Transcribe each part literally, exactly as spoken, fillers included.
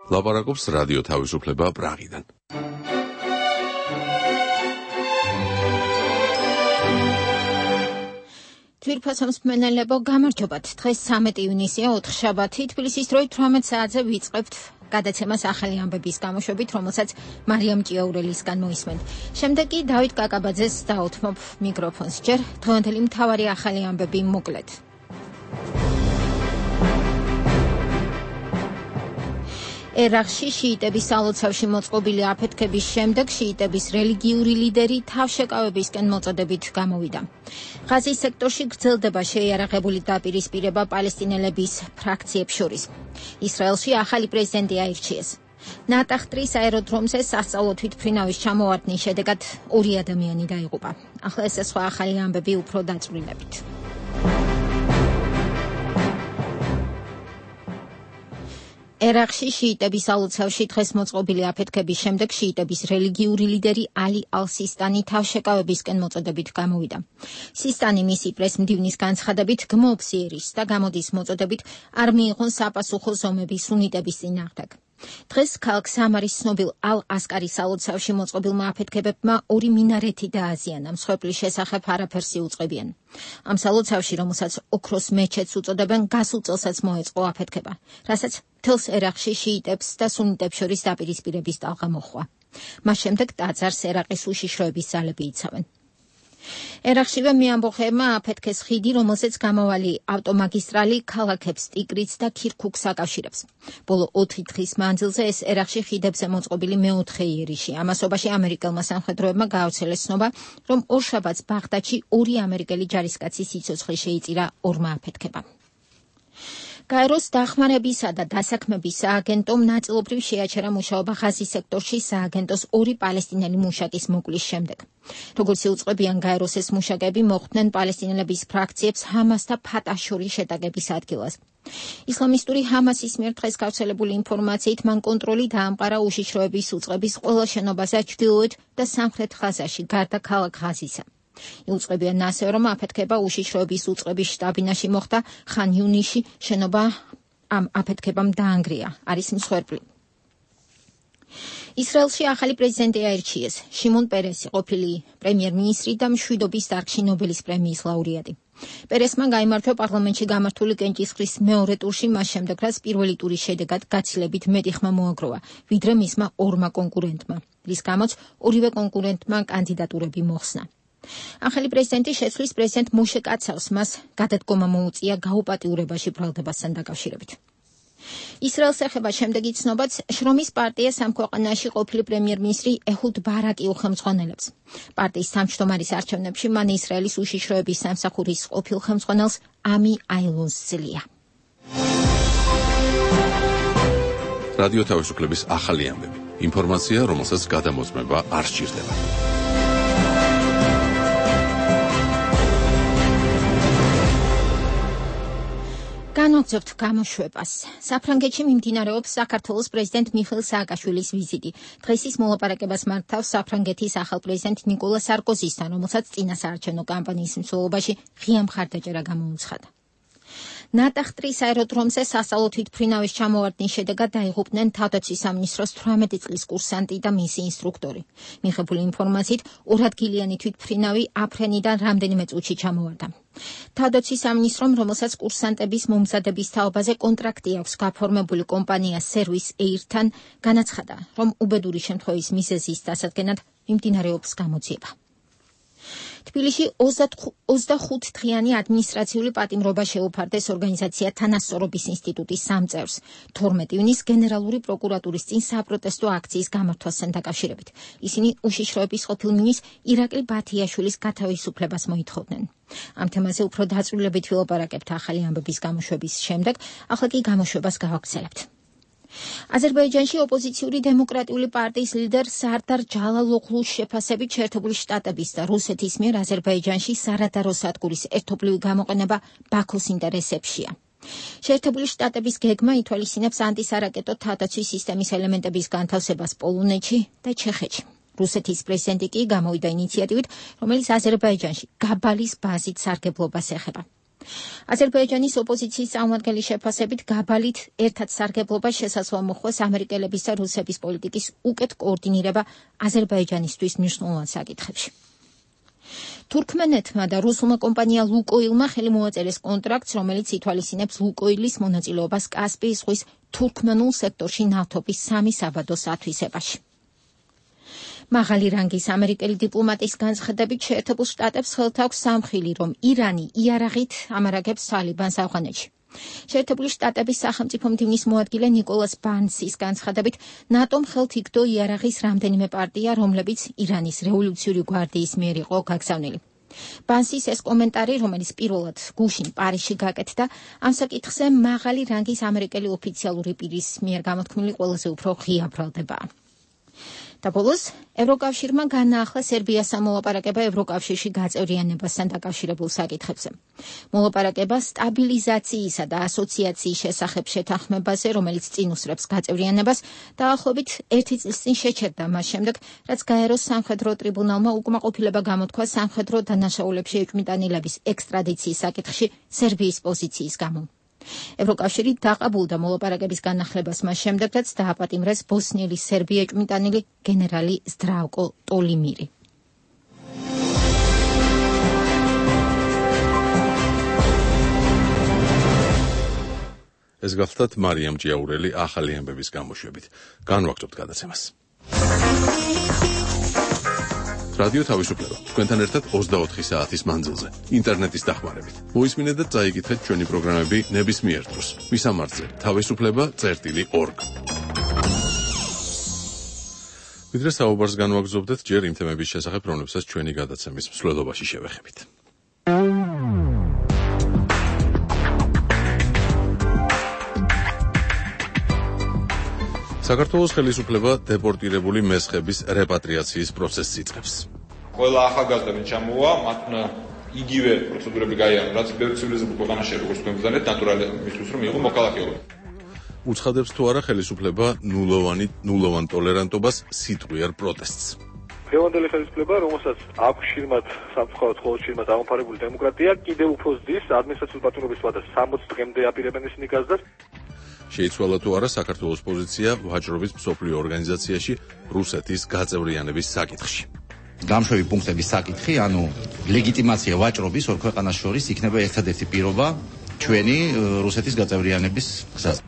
ლაპარაკობს რადიო თავისუფლება პრაღიდან. თვირფასობს მენელებო, გამარჯობათ. დღეს სამეტი ივნისია, ოთხშაბათი, თბილისის დროით თვრამეტ საათზე ვიწყებთ გადაცემას ახალი ამბების გამოშვებით, რომელსაც მარიამ ჭიაურელისგან მოისმენთ. შემდეგ კი დავით კაკაბაძეს დაუთმობ მიკროფონს. ჯერ დღევანდელი მთავარი ახალი ამბები მოკლედ. ერაყში შიიტების სალოცავში მოწყობილი აფეთქების შემდეგ შიიტების რელიგიური ლიდერი თავშეკავებისკენ მოწოდებით გამოვიდა. ღაზის სექტორში გრძელდება შეიარაღებული დაპირისპირება პალესტინელების ფრაქციებს შორის. ისრაელში ახალი პრეზიდენტი აირჩიეს. ნატახტრის აეროდრომზე სასწავლო თვითმფრინავის ჩამოვარდნის შედეგად ორი ადამიანი დაიღუპა. ახლა ეს სხვა ახალი ამბები უფრო დაწვრილებით. ერაყში შიიტების სალოცავში დღეს მოწყობილი აფეთქების შემდეგ შიიტების რელიგიური ლიდერი ალი ალ-სისტანი თავშეკავებისკენ მოწოდებით გამოვიდა. სისტანი მისი პრესმდივნის განცხადებით გმობს იერიშს და გამოდის მოწოდებით არ მიიღონ საპასუხო ზომები სუნიტების წინააღმდეგ. დღეს ქალაქ სამარის ცნობილ ალ-ასკარის სალოცავში მოწყობილმა აფეთქებებმა ორი მინარეთი დააზიანა, მსხვერპლის შესახებ არაფერს იუწყებიან. ამ სალოცავში, რომელსაც ოქროს მეჩეთს უწოდებენ, გასულ წელსაც მოეწყო აფეთქება, რასაც მთელს ერაყში შიიტებს და სუნიტებს შორის დაპირისპირების ტალღა მოჰყვა. მას შემდეგ ტაძარს ერაყის უშიშროების ძალები იცავენ. ერაყშივე მეამბოხეებმა აფეთქეს ხიდი, რომელზეც გამავალი ავტომაგისტრალი ქალაქებს ტიგრიც და ქირქუქს აკავშირებს. ბოლო ოთხი დღის მანძილზე ეს ერაყში ხიდებზე მოწყობილი მეოთხე იერიში. ამასობაში ამერიკელმა სამხედროებმა გაავრცელეს ცნობა, რომ ორშაბათს ბაღდადში ორი ამერიკელი ჯარისკაცის სიცოცხლე შეიწირა ორმა აფეთქებამ. გაეროს დახმარებისა და დასაქმების სააგენტომ ნაწილობრივ შეაჩერა მუშაობა ღაზის სექტორში სააგენტოს ორი პალესტინელი მუშაკის მოკვლის შემდეგ. როგორც იუწყებიან გაეროს ეს მუშაკები მოხვდნენ პალესტინელების ფრაქციებს ჰამას და ფატაჰს შორის შეტაკების ადგილას. ისლამისტური ჰამასის მიერ დღეს გავრცელებული ინფორმაციით მან კონტროლი დაამყარა უშიშროების უწყების ყველა შენობაზე ჩრდილოეთ და სამხრეთ ღაზაში, გარდა ქალაქ ღაზისა. იუწყებიან ასევე, რომ აფეთქება უშიშროების უწყების შტაბინაში მოხდა ხან იუნისში, შენობა ამ აფეთქებამ დაანგრია, არის მსხვერპლი. ისრაელში ახალი პრეზიდენტი აირჩიეს. შიმონ პერესი, ყოფილი პრემიერ-მინისტრი და მშვიდობის დარგში ნობელის პრემიის ლაურეატი. პერესმა გაიმარჯვა პარლამენტში გამართული კენჭისყრის მეორე ტურში, მას შემდეგ, რაც პირველი ტურის შედეგად გაცილებით მეტი ხმა მოაგროვა, ვიდრე მისმა ორმა კონკურენტმა, რის გამოც ორივე კონკურენტმა კანდიდატურები მოხსნა. ახალი პრეზიდენტი შეცვლის პრეზიდენტ მოშე კაცავს, მას გადადგომა მოუწია გაუპატიურებაში ბრალდებასთან დაკავშირებით. ისრაელს ეხება შემდეგი ცნობაც, შრომის პარტია სამქვეყანაში ყოფილი პრემიერ-მინისტრი ეჰუდ ბარაკი უხელმძღვანელებს. პარტიის თავმჯდომარის არჩევნებში მან ისრაელის უშიშროების სამსახურის ყოფილ ხელმძღვანელს ამი აილონს ძლია. რადიო თავისუფლების ახალი ამბები. ინფორმაცია, რომელსაც გადამოწმება არ სჭირდება. განვაგრძობთ გამოშვებას. საფრანგეთში მიმდინარეობს საქართველოს პრეზიდენტ მიხეილ სააკაშვილის ვიზიტი. დღეს ის მოლაპარაკებას მართავს საფრანგეთის ახალ პრეზიდენტ ნიკოლა სარკოზისთან, რომელსაც წინა საარჩევნო კამპანიის მსვლელობაში ღია მხარდაჭერა გამოუცხადა. ნატახტრის აეროდრომზე სასწავლო თვითმფრინავის ჩამოვარდნის შედეგად დაიღუპნენ თავდაცვის სამინისტროს თვრამეტი წლის კურსანტი და მისი ინსტრუქტორი. მიღებული ინფორმაციით, ორადგილიანი თვითმფრინავი აფრენიდან რამდენიმე წუთში ჩამოვარდა. თავდაცვის სამინისტრომ, რომელსაც კურსანტების მომზადების თაობაზე კონტრაქტი აქვს გაფორმებული კომპანია სერვის ეირთან, განაცხადა, რომ უბედური შემთხვევის მიზეზის დასადგენად მიმდინარეობს გამოძიება. თბილისში ოცდახუთ დღიანი ადმინისტრაციული პატიმრობა შეუფარდეს ორგანიზაცია თანასწორობის ინსტიტუტის სამ წევრს. თორმეტი ივნისს გენერალური პროკურატურის წინ საპროტესტო აქციის გამართვასთან დაკავშირებით. ისინი უშიშროების ყოფილ მინისტრ ირაკლი ბათიაშვილის გათავისუფლებას მოითხოვდნენ. ამ თემაზე უფრო დაწვრილებით ვილაპარაკებთ ახალი ამბების გამოშვების შემდეგ, ახლა კი გამოშვებას გავაგრძელებთ. აზერბაიჯანში ოპოზიციური დემოკრატიული პარტიის ლიდერ სარდარ ჯალალოღლუს შეფასებით შეერთებული შტატების და რუსეთის მიერ აზერბაიჯანში სარადარო სადგურის ერთობლივი გამოყენება ბაქოს ინტერესებშია. შეერთებული შტატების გეგმა ითვალისწინებს ანტისარაკეტო თავდაცვის სისტემის ელემენტების განთავსებას პოლონეთში და ჩეხეთში. რუსეთის პრეზიდენტი კი გამოვიდა ინიციატივით, რომელიც აზერბაიჯანში გაბალის ბაზით სარგებლობას ეხება. აზერბაიჯანის ოპოზიციის წარმომადგენლის შეფასებით გაბალით ერთად სარგებლობა შესაძლოა მოხდეს ამერიკელების და რუსების პოლიტიკის უკეთ კოორდინირება აზერბაიჯანისთვის მნიშვნელოვან საკითხებში. თურქმენეთმა და რუსულმა კომპანია ლუკოილმა ხელი მოაწერეს კონტრაქტს, რომელიც ითვალისწინებს ლუკოილის მონაწილეობას კასპიის ზღვის თურქმენულ სექტორში ნავთობის სამი საბადოს ათვისებაში. მაღალი რანგის ამერიკელი დიპლომატის განცხადებით შეერთებულ შტატებს ხელთ აქვს სამხილი, რომ ირანი იარაღით ამარაგებს თალიბანს ავღანეთში. შეერთებული შტატების სახელმწიფო მდივნის მოადგილე ნიკოლას ბანსის განცხადებით, ნატომ ხელთ იგდო იარაღის რამდენიმე პარტია, რომლებიც ირანის რევოლუციური გვარდიის მიერ იყო გაგზავნილი. ბანსის ეს კომენტარი, რომელიც პირველად გუშინ პარიზში გაკეთდა, ამ საკითხზე მაღალი რანგის ამერიკელი ოფიციალური პირის მიერ გამოთქმული ყველაზე უფრო ღია ბრალდებაა. და ბოლოს, ევროკავშირმა განაახლა სერბიას მოლაპარაკება ევროკავშირში გაწევრიანებასთან დაკავშირებულ საკითხებზე. მოლაპარაკება სტაბილიზაციისა და ასოციაციის შესახებ შეთანხმებაზე, რომელიც წინ უსწრებს გაწევრიანებას, დაახლოებით ერთი წლის წინ შეჩერდა მას შემდეგ, რაც გაეროს სამხედრო ტრიბუნალმა უკმაყოფილება გამოთქვა სამხედრო დანაშაულებში ეჭვმიტანილების ექსტრადიციის საკითხში სერბიის პოზიციის გამო. ევროკავშირი დაყაბულდა მოლაპარაკების განახლებას მას შემდეგ, რაც დააპატიმრეს ბოსნიელი სერბი ეჭვმიტანილი გენერალი ზდრავკო ტოლიმირი. ეს გახლდათ მარიამ ჭიაურელი ახალი ამბების გამოშვებით. განვაგრძობთ გადაცემას. რადიო თავისუფლება. თქვენთან ერთად ოცდაოთხი საათის მანძილზე, ინტერნეტის დახმარებით. მოისმინეთ და წაიკითხეთ ჩვენი პროგრამები ნებისმიერ დროს. მისამართზე თავისუფლება წერტილი ორგ. ვიდრე საუბარს განვაგრძობდეთ, ჯერ იმ თემების შესახებ, რომლებსაც ჩვენი გადაცემის მსვლელობაში შევეხებით. საქართველოს ხელისუფლება დეპორტირებული მესხების რეპატრიაციის პროცესს იწყებს. ყველა ახალგაზრდა ჩამოვა, მათ იგივე პროცედურები გაიარონ, რაც ბევრ ცივილიზებულ ქვეყანაში როგორც თქვენ გძანეთ, ნატურალი მისთვის რომ იყო მოქალაქეობა. უცხადებს თუ არა ხელისუფლება ნულოვანი ნულოვან ტოლერანტობას სიტყვიერ პროტესტს. დღევანდელი ხელისუფლება, რომელსაც აქვს შირმად სამწუხაროდ მხოლოდ შირმად აღმოფარებული დემოკრატია, კიდევ უფრო ზრდის ადმინისტრაციული პატრონობის ვადას სამოცი დღემდე აპირებენ ისინი გაზდას. შეიცვალა თუ არა საქართველოს პოზიცია ვაჭრობის მსოფლიო ორგანიზაციაში რუსეთის გაწევრიანების საკითხში. გამშვები პუნქტების საკითხი, ანუ ლეგიტიმაცია ვაჭრობის ორ ქვეყანას შორის იქნება ერთადერთი პირობა ჩვენი რუსეთის გაწევრიანების გზაზე.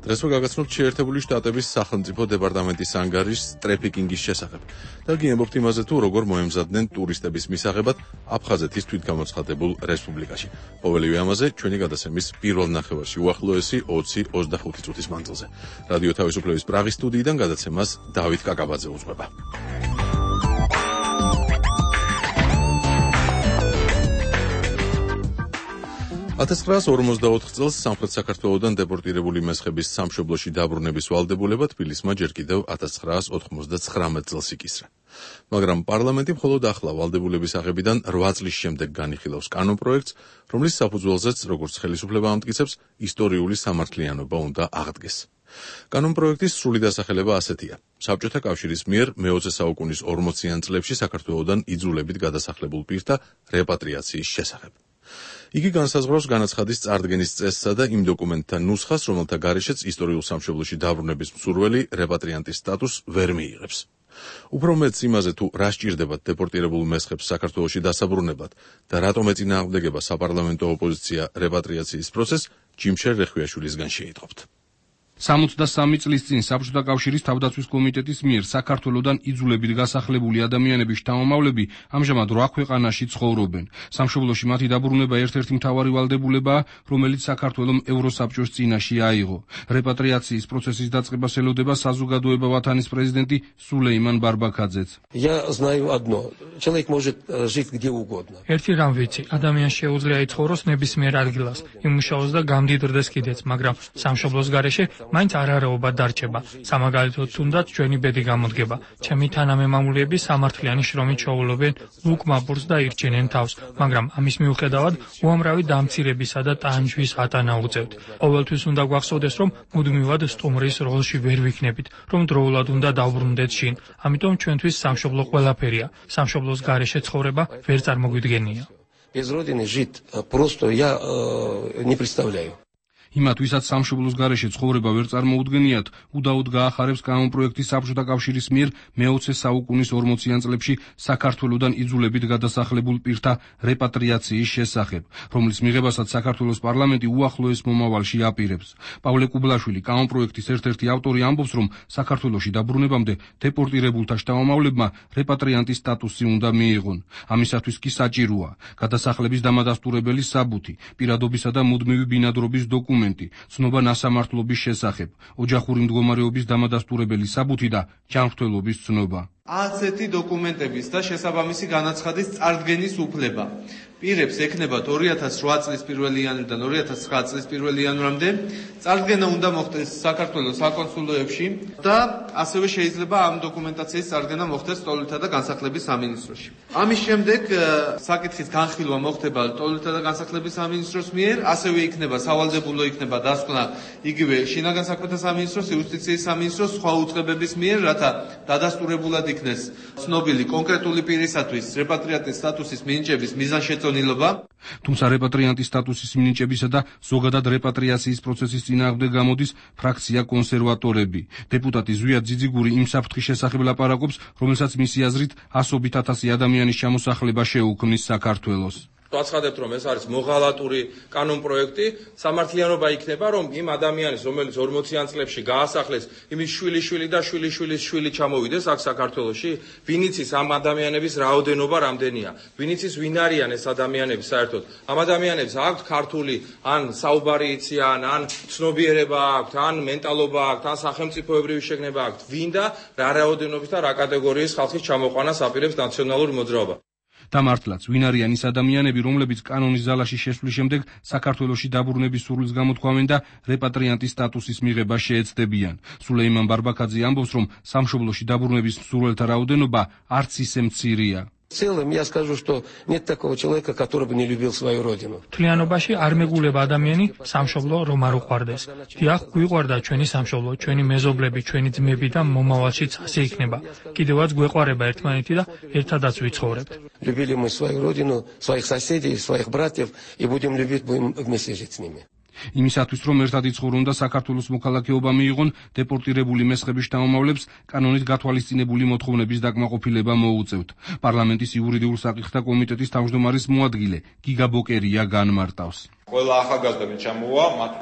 დღესვე გაგაცნობთ შეერთებული შტატების სახელმწიფო დეპარტამენტის ანგარიშს ტრეფიკინგის შესახებ და გიამბობთ იმაზე თუ როგორ მოემზადნენ ტურისტების მისაღებად აფხაზეთის თვითგამოცხადებულ რესპუბლიკაში. ყოველივე ამაზე ჩვენი გადაცემის პირველ ნახევარში უახლოესი ოცი ოცდახუთი წუთის მანძილზე. რადიო თავისუფლების პრაღის სტუდიიდან გადაცემას დავით კაკაბაძე უძღვება. ათას ცხრაას ორმოცდაოთხ წელს სამხრეთ საქართველოდან დეპორტირებული მესხების სამშობლოში დაბრუნების ვალდებულება თბილისმა ჯერ კიდევ ათას ცხრაას ოთხმოცდაცხრამეტ წელს იკისრა. მაგრამ პარლამენტი მხოლოდ ახლა ვალდებულების აღებიდან რვა წლის შემდეგ განიხილავს კანონპროექტს, რომლის საფუძველზეც, როგორც ხელისუფლება ამტკიცებს, ისტორიული სამართლიანობა უნდა აღდგეს. კანონპროექტის სრული დასახელება ასეთია: საბჭოთა კავშირის მიერ მეოცე საუკუნის ორმოციან წლებში საქართველოდან იძულებით გადასახლებულ პირთა რეპატრიაციის შესახებ. იგი განსაზღვრავს განაცხადის წარდგენის წესსა და იმ დოკუმენტთან ნუსხას, რომელთა გარეშეც ისტორიულ სამშობლოში დაბრუნების მსურველი რეპატრიანტის სტატუსს ვერ მიიღებს. უფრო მეც იმაზე თუ რა სჭირდებათ დეპორტირებულ მესხებს საქართველოში დასაბრუნებლად და რატომ ეწინააღმდეგება საპარლამენტო ოპოზიცია რეპატრიაციის პროცესს, ჯიმშერ რეხვიაშვილისგან შეიტყობთ. სამოცდასამი წლის წინ საბჭოთა კავშირის თავდაცვის კომიტეტის მიერ საქართველოდან იძულებით გასახლებული ადამიანების შთამომავლები ამჟამად რვა ქვეყანაში ცხოვრობენ. სამშობლოში მათი დაბრუნება ერთ-ერთი მთავარი ვალდებულებაა, რომელიც საქართველომ ევროსაბჭოს წინაშე აიღო. რეპატრიაციის პროცესის დაწყებას ელოდება საზოგადოება ვათანის პრეზიდენტი სულეიმან ბარბაქაძეც. ერთი რამ ვიცი, ადამიანს შეუძლია იცხოვროს ნებისმიერ ადგილას, იმუშაოს და გამდიდრდეს კიდეც, მაგრამ სამშობლოს გარეშე მაინც არარეობა დარჩება. სამაგალითოდ თუნდაც ჩვენი ბედი გამოდგება. ჩემი თანამემამულეები სამართლიანი შრომით შოულობენ ლუკმაბურს და ირჩენენ თავს, მაგრამ ამის მიუხედავად უამრავი დამცირებისა და ტანჯვის ატანა უწევთ. ყოველთვის უნდა გვახსოვდეს, რომ მუდმივად სტუმრის როლში ვერ ვიქნებით, რომ დროულად უნდა დავბრუნდეთ შინ. ამიტომ ჩვენთვის სამშობლო ყველაფერია. სამშობლოს გარეშე ცხოვრება ვერ წარმოგვიდგენია. Без родины жить просто я э, не представляю. იმათ, ვისაც სამშობლოს გარეშე ცხოვრება ვერ წარმოუდგენიათ, უდაოდ გაახარებს კანონპროექტი საბჭოთა კავშირის მიერ მეოცე საუკუნის ორმოციან წლებში საქართველოსდან იძულებით გადასახლებულ პირთა რეპატრიაციის შესახებ, რომლის მიღებასაც საქართველოს პარლამენტი უახლოეს მომავალში აპირებს. პავლე კუბლაშვილი, კანონპროექტის ერთ-ერთი ავტორი, ამბობს, რომ საქართველოში დაბრუნებამდე დეპორტირებულთა შთამომავლებმა რეპატრიანტის სტატუსი უნდა მიიღონ. ამისათვის კი საჭიროა გადასახლების დამადასტურებელი საბუთი, პირადობისა და მუდმივი ბინადრობის დოკუმენტი, ცნობა ნასამართლობის შესახებ, ოჯახური მდგომარეობის დამადასტურებელი საბუთი და ჯანმრთელობის ცნობა. ასეთი დოკუმენტების და შესაბამისი განაცხადის წარდგენის უფლება პირებს ექნებათ ორი ათას რვა წლის პირველი იანვრიდან ორი ათას ცხრა წლის პირველი იანვრამდე, წარდგენა უნდა მოხდეს საქართველოს საკონსულოებში და ასევე შეიძლება ამ დოკუმენტაციის წარდგენა მოხდეს ტოლთა და განსახლების სამინისტროში. ამის შემდეგ საკითხის განხილვა მოხდება ტოლთა და განსახლების სამინისტროს მიერ, ასევე იქნება სავალდებულო იქნება დასკვნა იგივე შინაგან საქმეთა სამინისტროს, იუსტიციის სამინისტროს, სხვა უწყებების მიერ, რათა დადასტურებულად იქნეს ცნობილი კონკრეტული პირისათვის რეპატრიანტის სტატუსის მინიჭების მიზანშეწონილობა. თუმცა რეპატრიანტის სტატუსის მინიჭებისა და ზოგადად რეპატრიაციის პროცესის წინააღმდეგ გამოდის ფრაქცია კონსერვატორები. დეპუტატი ზვია ძიძიგური იმ საფრთხის შესახებ ლაპარაკობს, რომელსაც მისი აზრით ასობით ათასი ადამიანის ჩამოსახლება შეუქმნის საქართველოს. ვაცხადებთ, რომ ეს არის მოღალატური კანონპროექტი, სამართლიანობა იქნება, რომ იმ ადამიანის, რომელიც ორმოციან წლებში გაასახლეს, იმის შვილი-შვილი და შვილი-შვილის შვილი ჩამოვიდეს აქ საქართველოში, ვინ იცის ამ ადამიანების რაოდენობა რამდენია, ვინ იცის ვინ არიან ეს ადამიანები საერთოდ. ამ ადამიანებს აქვთ ქართული ან საუბარი იციან, ან ცნობიერება აქვთ, ან მენტალობა აქვთ, ან სახელმწიფოებრივი შეგნება აქვთ, ვინ და რა რაოდენობის და რა კატეგორიის ხალხის ჩამოყვანას აპირებს ნაციონალური მოძრაობა. და მართლაც, ვინ არიან ის ადამიანები, რომლებიც კანონის ძალაში შესვლის შემდეგ საქართველოში დაბრუნების სურვილს გამოთქვამენ და რეპატრიანტის სტატუსის მიღება შეეცდებიან. სულეიმან ბარბაქაძე ამბობს, რომ სამშობლოში დაბრუნების მსურველთა რაოდენობა არც ისე მცირეა. В целом я скажу, что нет такого человека, который бы не любил свою родину. Თლიანობაში არ მეგულება ადამიანი სამშობლო რომ არ უყვარდეს. დიახ, გვიყვარდა ჩვენი სამშობლო, ჩვენი მეზობლები, ჩვენი ძმები და მომავალშიც ასე იქნება. კიდევაც გვეყვარება ერთმანეთი და ერთადაც ვიცხოვრებთ. Любили мы свою родину, своих соседей, своих братьев и будем любить, будем вместе жить с ними. იმისათვის, რომ ერთად იცხოვრონ და საქართველოს მოქალაქეობა მიიღონ, დეპორტირებული მესხების შთამომავლებს კანონით გათვალისწინებული მოთხოვნების დაკმაყოფილება მოუწევთ. პარლამენტის იურიდიულ საკითხთა კომიტეტის თავმჯდომარის მოადგილე გიგა ბოკერია განმარტავს. ყველა ახალგაზრდა ვინც ჩამოვა, მათ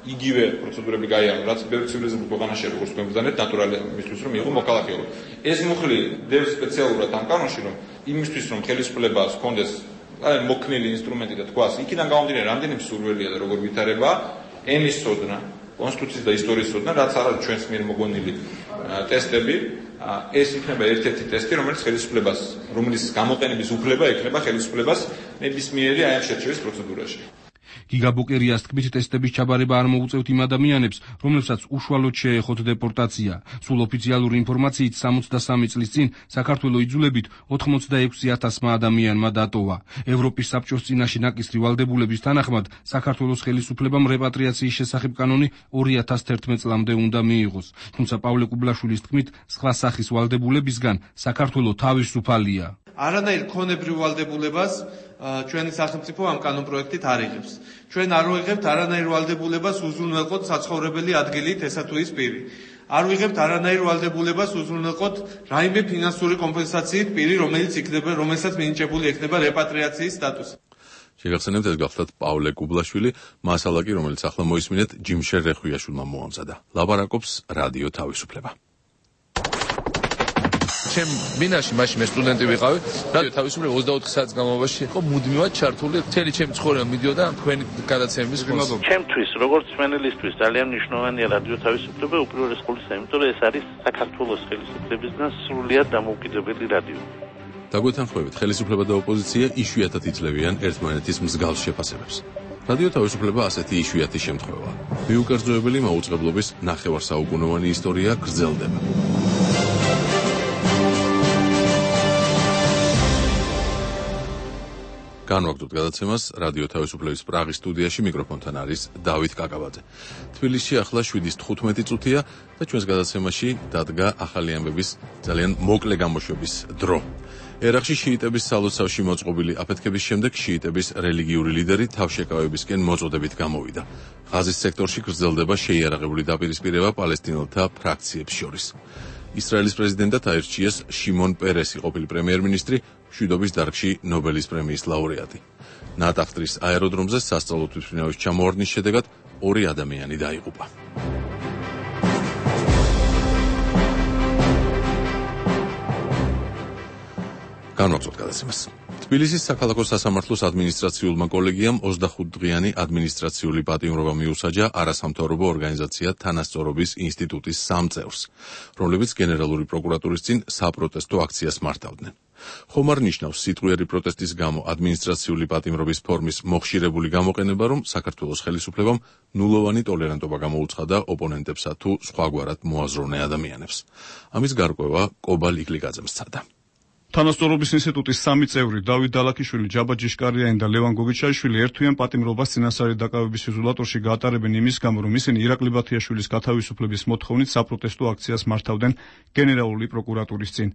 იგივე პროცედურები გაიარონ, რაც ბევრ ცივილიზებულ ქვეყანაში როგორც გვემბრძანეთ, ნატურალი იმისთვის, რომ მიიღო მოქალაქეობა. ეს მუხლი დევს სპეციალურად ამ კანონში, რომ იმისთვის, რომ ხელისუფლებას ჰქონდეს აი მოქნილი ინსტრუმენტი და თქვას, იქიდან გამომდინარე, რამდენი სურვილია და როგორ ვითარება ენის სოდნა, კონსტიტუციის და ისტორიის სოდნა, რაც არის ჩვენს მიერ მოგვენილი ტესტები, ეს იქნება ერთ-ერთი ტესტი, რომელიც ხელისუფლებას, რომლის გამოყენების უფლება ექნება ხელისუფლებას ნებისმიერი აი ამ შერჩევის პროცედურაში. გიგა ბოკერიას თქმით, ტესტების ჩაბარება არ მოუწევთ იმ ადამიანებს, რომლებსაც უშუალოდ შეეხოთ დეპორტაცია. სულ ოფიციალური ინფორმაციით სამოცდასამი წლის წინ საქართველოს იძულებით ოცდაექვსი ათასმა ადამიანმა დატოვა. ევროპის საბჭოს წინაშე ნაკისრი ვალდებულების თანახმად საქართველოს ხელისუფლებამ რეპატრიაციის შესახებ კანონი ორი ათას თერთმეტ წლამდე უნდა მიიღოს. თუმცა პავლე კუბლაშვილის თქმით, სხვა სახის ვალდებულებისგან საქართველოს თავისუფალია. არანაირ ქონებრივ ვალდებულებას ჩვენი სახელმწიფო ამ კანონპროექტით არ იღებს. ჩვენ არ ვიღებთ არანაირ ვალდებულებას უზრუნველყოთ საცხოვრებელი ადგილით ესა თუ ის პირი. არ ვიღებთ არანაირ ვალდებულებას უზრუნველყოთ რაიმე ფინანსური კომპენსაციით პირი, რომელიც იქნება, რომელსაც მინიჭებული ექნება რეპატრიაციის სტატუსი. შეგახსენებთ, ეს გახლავთ პავლე კუბლაშვილი, მასალა კი, რომელიც ახლა მოისმინეთ, ჯიმშერ რეხვიაშვილმა მოამზადა. ლაპარაკობს რადიო თავისუფლება. ჩემ მინაში მაშინ მე სტუდენტი ვიყავი, რადიო თავისუფლება ოცდაოთხ საათის განმავლობაში იყო მუდმივად ჩართული, მთელი ჩემი ცხოვრება მიდიოდა თქვენი გადაცემების ხმაზე. ჩემთვის, როგორც სვენელისთვის, ძალიან მნიშვნელოვანია რადიო თავისუფლება, უპირველეს ყოვლისა, იმიტომ რომ ეს არის საქართველოს ხელისუფლებისგან სრულიად დამოუკიდებელი რადიო. დაგვეთანხმებით, ხელისუფლება და ოპოზიცია იშვიათად იძლევიან ერთმანეთის მსგავს შეფასებებს. რადიო თავისუფლება ასეთი იშვიათი შემთხვევაა. მიუკერძოებელი მაუწყებლობის ნახევარსაუკუნოვანი ისტორია გრძელდება. განვაგრძობთ გადაცემას რადიო თავისუფლების პრაღის სტუდიაში, მიკროფონთან არის დავით კაკაბაძე. თბილისში ახლა შვიდის თხუთმეტი წუთია და ჩვენს გადაცემაში დადგა ახალი ამბების ძალიან მოკლე გამოშვების დრო. ერაყში შიიტების სალოცავში მოწყობილი აფეთქების შემდეგ შიიტების რელიგიური ლიდერი თავშეკავებისკენ მოწოდებით გამოვიდა. ღაზის სექტორში გრძელდება შეიარაღებული დაპირისპირება პალესტინელთა ფრაქციებს შორის. ისრაელის პრეზიდენტად აირჩიეს შიმონ პერესი, ყოფილი პრემიერ-მინისტრი, მშვიდობის დარგში ნობელის პრემიის ლაურეატი. ნატახტრის აეროდრომზე სასწავლო თვითმფრინავის ჩამოვარდნის შედეგად ორი ადამიანი დაიღუპა. განვაგრძოთ გადაცემას. თბილისის საქალაქო სასამართლოს ადმინისტრაციულმა კოლეგიამ ოცდახუთდღიანი ადმინისტრაციული პატიმრობა მიუსაჯა არასამთავრობო ორგანიზაცია თანასწორობის ინსტიტუტის სამ წევრს, რომლებიც გენერალური პროკურატურის წინ საპროტესტო აქციას მართავდნენ. ხომ არ ნიშნავს სიტყვიერი პროტესტის გამო ადმინისტრაციული პატიმრობის ფორმის მოხშირებული გამოყენება, რომ საქართველოს ხელისუფლებამ ნულოვანი ტოლერანტობა გამოუცხადა ოპონენტებსა თუ სხვაგვარად მოაზროვნე ადამიანებს. ამის გარკვევა კობალ იკლიკაძემ სცადა. თანასწორობის ინსტიტუტის სამი წევრი დავით დალაქიშვილი, ჯაბა ჯიშკარიანი და ლევან გოგიჩაიშვილი ერთვიან პატიმრობას წინასწარი დაკავების იზოლატორში გაატარებენ იმის გამო, რომ ისინი ირაკლი ბათიაშვილის გათავისუფლების მოთხოვნით საპროტესტო აქციას მართავდნენ გენერალური პროკურატურის წინ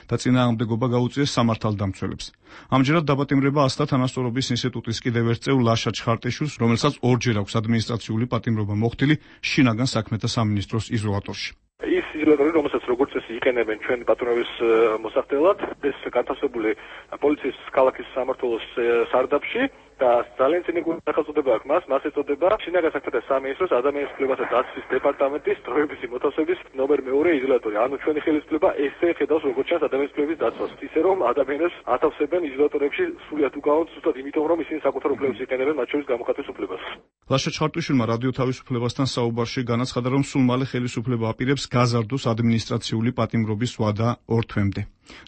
და წინააღმდეგობა გაუწიეს სამართალდამცველებს. ამჯერად დაპატიმრება ასთა თანასწორობის ინსტიტუტის კიდევ ერთ წევრ ლაშა ჩხარტიშვილს, რომელსაც ორჯერ აქვს ადმინისტრაციული პატიმრობა მოხდილი შინაგან საქმეთა სამინისტროს იზოლატორში. ის იზოლატორი, რომელსაც როგორც წესი იყენებენ ჩვენი პატრონის მოსახდელად, ეს განთავსებული პოლიციის ქალაქის სამმართველოს სარდაფში და ძალიან წინიკული სახელწოდება აქვს მას, მას ეწოდება შინაგან საქმეთა სამინისტროს ადამიანის უფლებათა დაცვის დეპარტამენტის დროებითი მოთავსების ნომერ მეორე იზოლატორი. ანუ ჩვენი ხელისუფლება ესე ხედავს როგორც ჩანს ადამიანის უფლების დაცვას. ისე რომ ადამიანებს ათავსებენ იზოლატორებში სრულიად უკანონოდ, ზუსტად იმიტომ რომ ისინი საკუთარ უფლებებს იყენებენ, მათ შორის გამოხატვის უფლებას. ლაშა ჩხარტიშვილმა რადიო თავისუფლებასთან საუბარში განაცხადა, რომ სულ მალე ხელისუფლება აპირებს გაზარდოს ადმინისტრაციული პატიმრობის ვადა ორ თვემდე.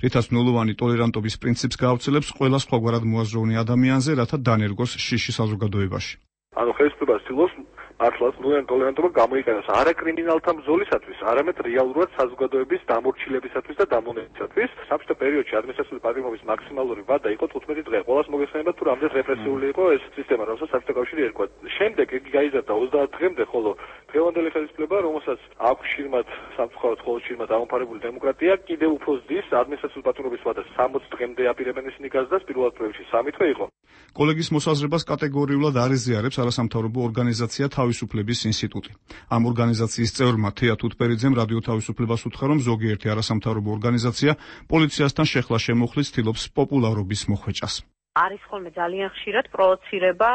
რითაც ნულოვანი ტოლერანტობის პრინციპს გაავრცელებს ყველა სხვაგვარად მოაზროვნე ადამიანზე, რათა დანერგოს შიში საზოგადოებაში. ანუ ხელისუფლება ცდილობს მართლაც ნულოვანი ტოლერანტობა გამოიყენოს არა კრიმინალთა ბრძოლისათვის, არამედ რეალურად საზოგადოების დამორჩილებისათვის და დამონებისათვის. საბჭოთა პერიოდში ადმინისტრაციული პატიმრობის მაქსიმალური ვადა იყო თხუთმეტი დღე. ყველას მოგეხსენება თუ რამდენად რეპრესიული იყო ეს სისტემა, რომელსაც საბჭოთა კავშირი ერქვა. შემდეგ იგი გაიზარდა ოცდაათ დღემდე, ხოლო დღევანდელი ხელისუფლება, რომელსაც აქვს შირმად სამწუხაროდ მხოლოდ შირმად აღმოფარებული დემოკრატია, კიდევ უფრო ზრდის ადმინისტრაციული პატიმრობის ვადას სამოცი დღემდე აპირებენ ისინი გაზრდას, პირველად პროექტში სამი დღე იყო. კოლეგის მოსაზრებას კატეგორიულად არ ეზიარებს არასამთავრობო ორგანიზაცია თავისუფლების ინსტიტუტი. ამ ორგანიზაციის წევრმა თეა თუთბერიძემ რადიო თავისუფლებას უთხრა, რომ ზოგიერთი არასამთავრობო ორგანიზაცია პოლიციასთან შეხლა შემოხლის ცდილობს პოპულარობის მოხვეჭას. არის ხოლმე ძალიან ხშირად პროვოცირება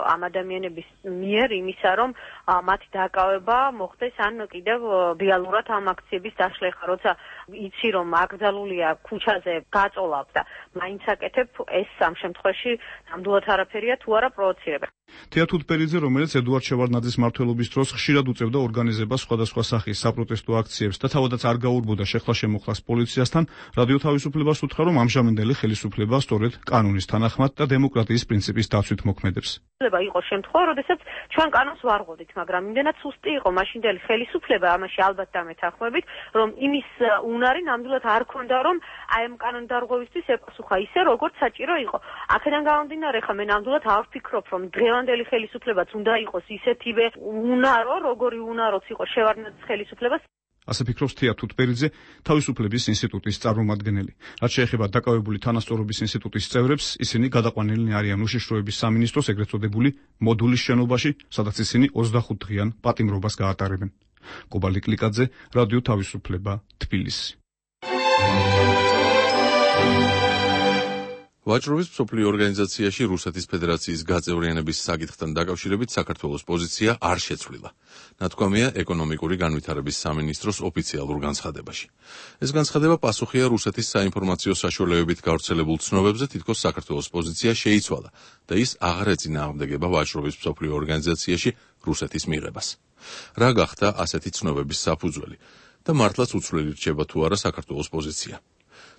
ამ ადამიანების მიერ იმისა, რომ მათი დაკავება მოხდეს ან კიდევ რეალურად ამ აქციების დაშლეხა, როცა იცი რომ აკრძალულია ქუჩაზე გაწოლავ და მაინც აკეთებ, ეს ამ შემთხვევაში ნამდვილად არაფერია თუ არა პროვოცირება. თეა თუთბერიძე, რომელიც ედუარდ შევარდნაძის მმართველობის დროს ხშირად უწევდა ორგანიზებას სხვადასხვა სახის საპროტესტო აქციებს და თავადაც არ გაურბოდა შეხლა შემოხლას პოლიციასთან, რადიო თავისუფლებას უთხრა, რომ ამჟამინდელი ხელისუფლება სწორედ კანონის თანახმად და დემოკრატიის პრინციპის დაცვით მოქმედებს. იყო შემთხვევა, როდესაც ჩვენ კანონს ვარღვევდით, მაგრამ იმდენად სუსტი იყო მაშინდელი ხელისუფლება, ამაში ალბათ დამეთანხმებით, რომ იმის უნარი ნამდვილად არ ქონდა, რომ აი ამ კანონ დარღვევისთვის ეპასუხა ისე, როგორც საჭირო იყო. აქედან გამომდინარე, ხა მე ნამდვილად არ ვფიქრობ, რომ დღევანდელი ხელისუფლებაც უნდა იყოს ისეთივე უნარო, როგორი უნაროც იყო შევარდნაძის ხელისუფლებას. ასე ფიქრობს თეა თუთბერიძე, თავისუფლების ინსტიტუტის წარმომადგენელი. რაც შეეხება დაკავებული თანასწორობის ინსტიტუტის წევრებს, ისინი გადაყვანილნი არიან უშიშროების სამინისტროს ეგრეთ წოდებული მოდულის შენობაში, სადაც ისინი ოცდახუთდღიან პატიმრობას გაატარებენ. კობალ იკლიკაძე, რადიო თავისუფლება, თბილისი. ვაჭრობის მსოფლიო ორგანიზაციაში რუსეთის ფედერაციის გაწევრიანების საკითხთან დაკავშირებით საქართველოს პოზიცია არ შეცვლილა. ნათქვამია ეკონომიკური განვითარების სამინისტროს ოფიციალურ განცხადებაში. ეს განცხადება პასუხია რუსეთის საინფორმაციო საშუალებებით გავრცელებულ ცნობებზე, თითქოს საქართველოს პოზიცია შეიცვალა და ის აღარ ეწინააღმდეგება ვაჭრობის მსოფლიო ორგანიზაციაში რუსეთის მიღებას. რა გახდა ასეთი ცნობების საფუძველი და მართლაც უცვლელი რჩება თუ არა საქართველოს პოზიცია?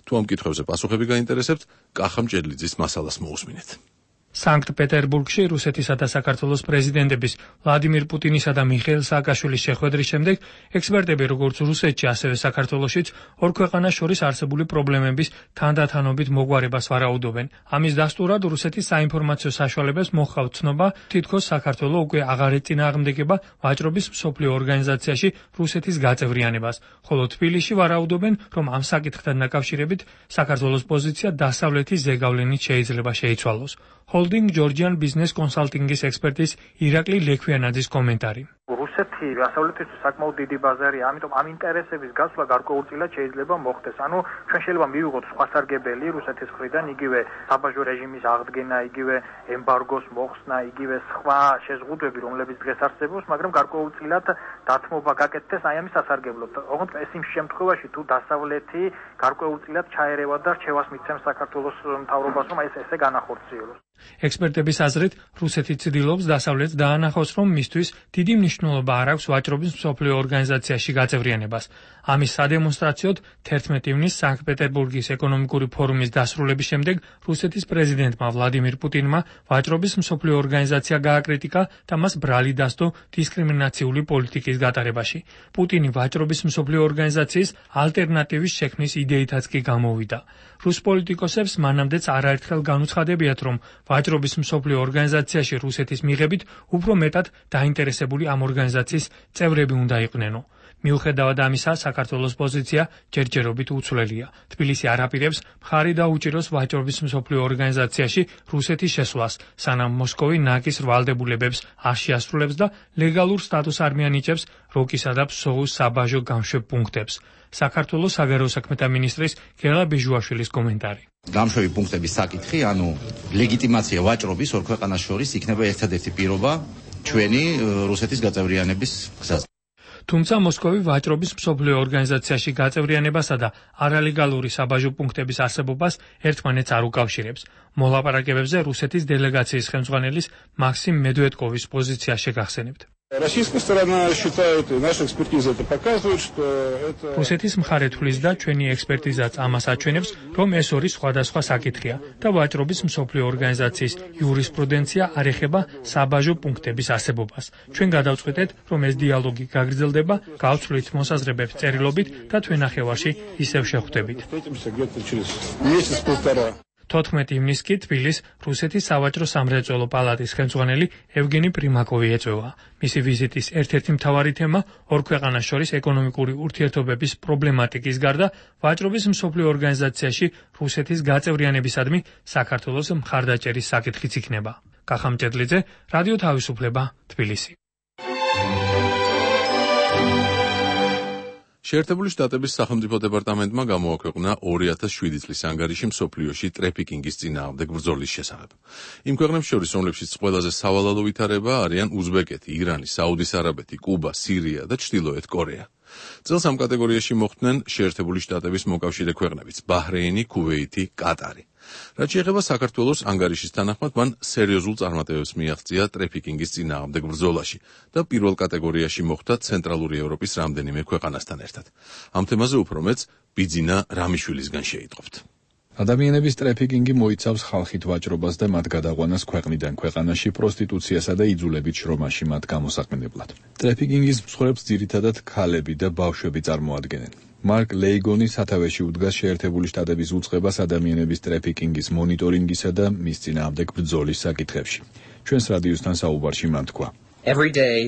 თუ ამ კითხვებზე პასუხები გაინტერესებთ, კახა მჭედლიძის მასალას მოусმინეთ. სანქტ-პეტერბურგში რუსეთისა და საქართველოს პრეზიდენტების ვლადიმირ პუტინისა და მიხეილ სააკაშვილის შეხვედრის შემდეგ ექსპერტები როგორც რუსეთში, ასევე საქართველოშიც ორ ქვეყანას შორის არსებული პრობლემების თანდათანობით მოგვარებას ვარაუდობენ. ამის დასტურად რუსეთის საინფორმაციო საშუალებებს მოჰყავთ ცნობა, თითქოს საქართველო უკვე აღარ ეწინააღმდეგება ვაჭრობის მსოფლიო ორგანიზაციაში რუსეთის გაწევრიანებას, ხოლო თბილისში ვარაუდობენ, რომ ამ საკითხთან დაკავშირებით საქართველოს პოზიცია დასავლეთის ზეგავლენით შეიძლება შეიცვალოს. Holding Georgian Business Consulting-ის ექსპერტის ირაკლი ლექვიანაძის კომენტარი. რუსეთი დასავლეთისთვის საკმაოდ დიდი ბაზარია, ამიტომ ამ ინტერესების გასვლა გარკვეულწილად შეიძლება მოხდეს. ანუ ჩვენ შეიძლება მივიღოთ სხვასარგებელი რუსეთის მხრიდან, იგივე საბაჟო რეჟიმის აღდგენა, იგივე ემბარგოს მოხსნა, იგივე სხვა შეზღუდვები, რომლებიც დღეს არსებობს, მაგრამ გარკვეულწილად დათმობა გაკეთდეს აი ამის სასარგებლოდ. ოღონდ ეს იმ შემთხვევაში, თუ დასავლეთი გარკვეულწილად ჩაერევა და რჩევას მიცემს საქართველოს მთავრობას, რომ ეს ესე განახორციელოს. ექსპერტების აზრით, რუსეთი ცდილობს დასავლეთს დაანახოს, რომ მისთვის დიდი მნიშვნელობა არ აქვს ვაჭრობის მსოფლიო ორგანიზაციაში გაწევრიანებას. ამის სადემონსტრაციოდ თერთმეტი ივნისს სანქტ-პეტერბურგის ეკონომიკური ფორუმის დასრულების შემდეგ რუსეთის პრეზიდენტმა ვლადიმირ პუტინმა ვაჭრობის მსოფლიო ორგანიზაცია გააკრიტიკა და მას ბრალი დასდო დისკრიმინაციული პოლიტიკის გატარებაში. პუტინი ვაჭრობის მსოფლიო ორგანიზაციის ალტერნატივის შექმნის იდეითაც კი გამოვიდა. რუს პოლიტიკოსებს მანამდეც არაერთხელ განუცხადებიათ, რომ ვაჭრობის მსოფლიო ორგანიზაციაში რუსეთის მიღებით უფრო მეტად დაინტერესებული ამ ორგანიზაციის წევრები უნდა იყვნენო. მიუხედავად ამისა, საქართველოს პოზიცია ჯერჯერობით უცვლელია. თბილისი არ აპირებს მხარი დაუჭიროს ვაჭრობის მსოფლიო ორგანიზაციაში რუსეთის შესვლას, სანამ მოსკოვი ნაკის ვალდებულებებს არ შეასრულებს და ლეგალურ სტატუსს არ მიანიჭებს როკისა და ფსოუს საბაჟო გამშვებ პუნქტებს. საქართველოს საგარეო საქმეთა მინისტრის გელა ბიჟუაშვილის კომენტარი. გამშვები პუნქტების საკითხი, ანუ ლეგიტიმაცია ვაჭრობის ორ ქვეყანას შორის იქნება ერთადერთი პირობა ჩვენი რუსეთის გაწევრიანების გზაზე. თუმცა მოსკოვი ვაჭრობის მსოფლიო ორგანიზაციაში გაწევრიანებასა და არალეგალური საბაჟო პუნქტების არსებობას ერთმანეთს არ უკავშირებს. მოლაპარაკებებზე რუსეთის დელეგაციის ხელმძღვანელის მაქსიმ მედვედკოვის პოზიცია შეგახსენებთ. Российская сторона считает, и наша экспертиза это показывает, что это... რუსეთის მხარე თვლის და ჩვენი ექსპერტიზაც ამას აჩვენებს, რომ ეს ორი სხვადასხვა საკითხია და ვაჭრობის მსოფლიო ორგანიზაციის იურისპრუდენცია არ ეხება საბაჟო პუნქტების არსებობას. ჩვენ გადავწყვეტეთ, რომ ეს დიალოგი გაგრძელდება, გავცვლით მოსაზრებებს წერილობით და თქვენ ნახევარში ისევ შევხვდებით. თოთხმეტი ივნისს კი თბილისს რუსეთის სავაჭრო სამრეწველო პალატის ხელმძღვანელი ევგენი პრიმაკოვი ეწვევა. მისი ვიზიტის ერთ-ერთი მთავარი თემა ორ ქვეყანას შორის ეკონომიკური ურთიერთობების პრობლემატიკის გარდა ვაჭრობის მსოფლიო ორგანიზაციაში რუსეთის გაწევრიანებისადმი საქართველოს მხარდაჭერის საკითხიც იქნება. კახა მჭედლიძე, რადიო თავისუფლება, თბილისი. შეერთებული შტატების სახელმწიფო დეპარტამენტმა გამოაქვეყნა ორი ათას შვიდი წლის ანგარიში მსოფლიოში ტრეფიკინგის წინააღმდეგ ბრძოლის შესახებ. იმ ქვეყნებს შორის, რომლებშიც ყველაზე სავალალო ვითარება არიან უზბეკეთი, ირანი, საუდის არაბეთი, კუბა, სირია და ჩრდილოეთ კორეა. წელს ამ კატეგორიაში მოხვდნენ შეერთებული შტატების მოკავშირე ქვეყნებიც: ბაჰრეინი, ქუვეითი, კატარი. რაც შეეხება საქართველოს, ანგარიშის თანახმად მან სერიოზულ წარმატებებს მიაღწია ტრეფიკინგის წინააღმდეგ ბრძოლაში და პირველ კატეგორიაში მოხვდა ცენტრალური ევროპის რამდენიმე ქვეყანასთან ერთად. ამ თემაზე უფრო მეც ბიძინა რამიშვილისგან შეიტყობთ. ადამიანების ტრეფიკინგი მოიცავს ხალხით ვაჭრობას და მათ გადაყვანას ქვეყნიდან ქვეყანაში პროსტიტუციასა და იძულებით შრომაში მათ გამოსაყენებლად. ტრეფიკინგის მსხვერპლს ძირითადად ქალები და ბავშვები წარმოადგენენ. მარკ ლეიგონი სათავეში უდგას შეერთებული შტატების უწყებას ადამიანების ტრეფიკინგის მონიტორინგისა და მის წინააღმდეგ ბრძოლის საკითხებში. ჩვენს რადიოსთან საუბარში მან თქვა: Every day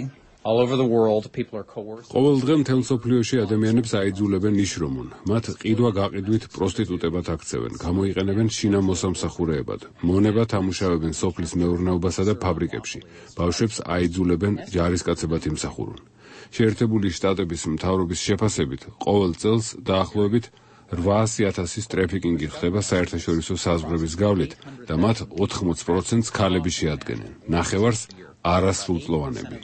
all over the world people are coerced. ყოველ დღე მთელ მსოფლიოში ადამიანებს აიძულებენ ნიშრომონ. მათ ყიდვა გაყიდვით პროსტიტუტებად აქცევენ, გამოიყენებენ შინა მოსამსახურეებად, მონებად ამუშავებენ სოფლის მეურნეობასა და ფაბრიკებში. ბავშვებს აიძულებენ ჯარისკაცებად იმსახურონ. შეერთებული შტატების მთავრობის შეფასებით, ყოველ წელს დაახლოებით რვაასი ათასის ტრეფიკინგი ხდება საერთაშორისო საზღვრების გავლით და მათ ოთხმოცი პროცენტს ქალები შეადგენენ. ნახევარს არასრულწლოვანები.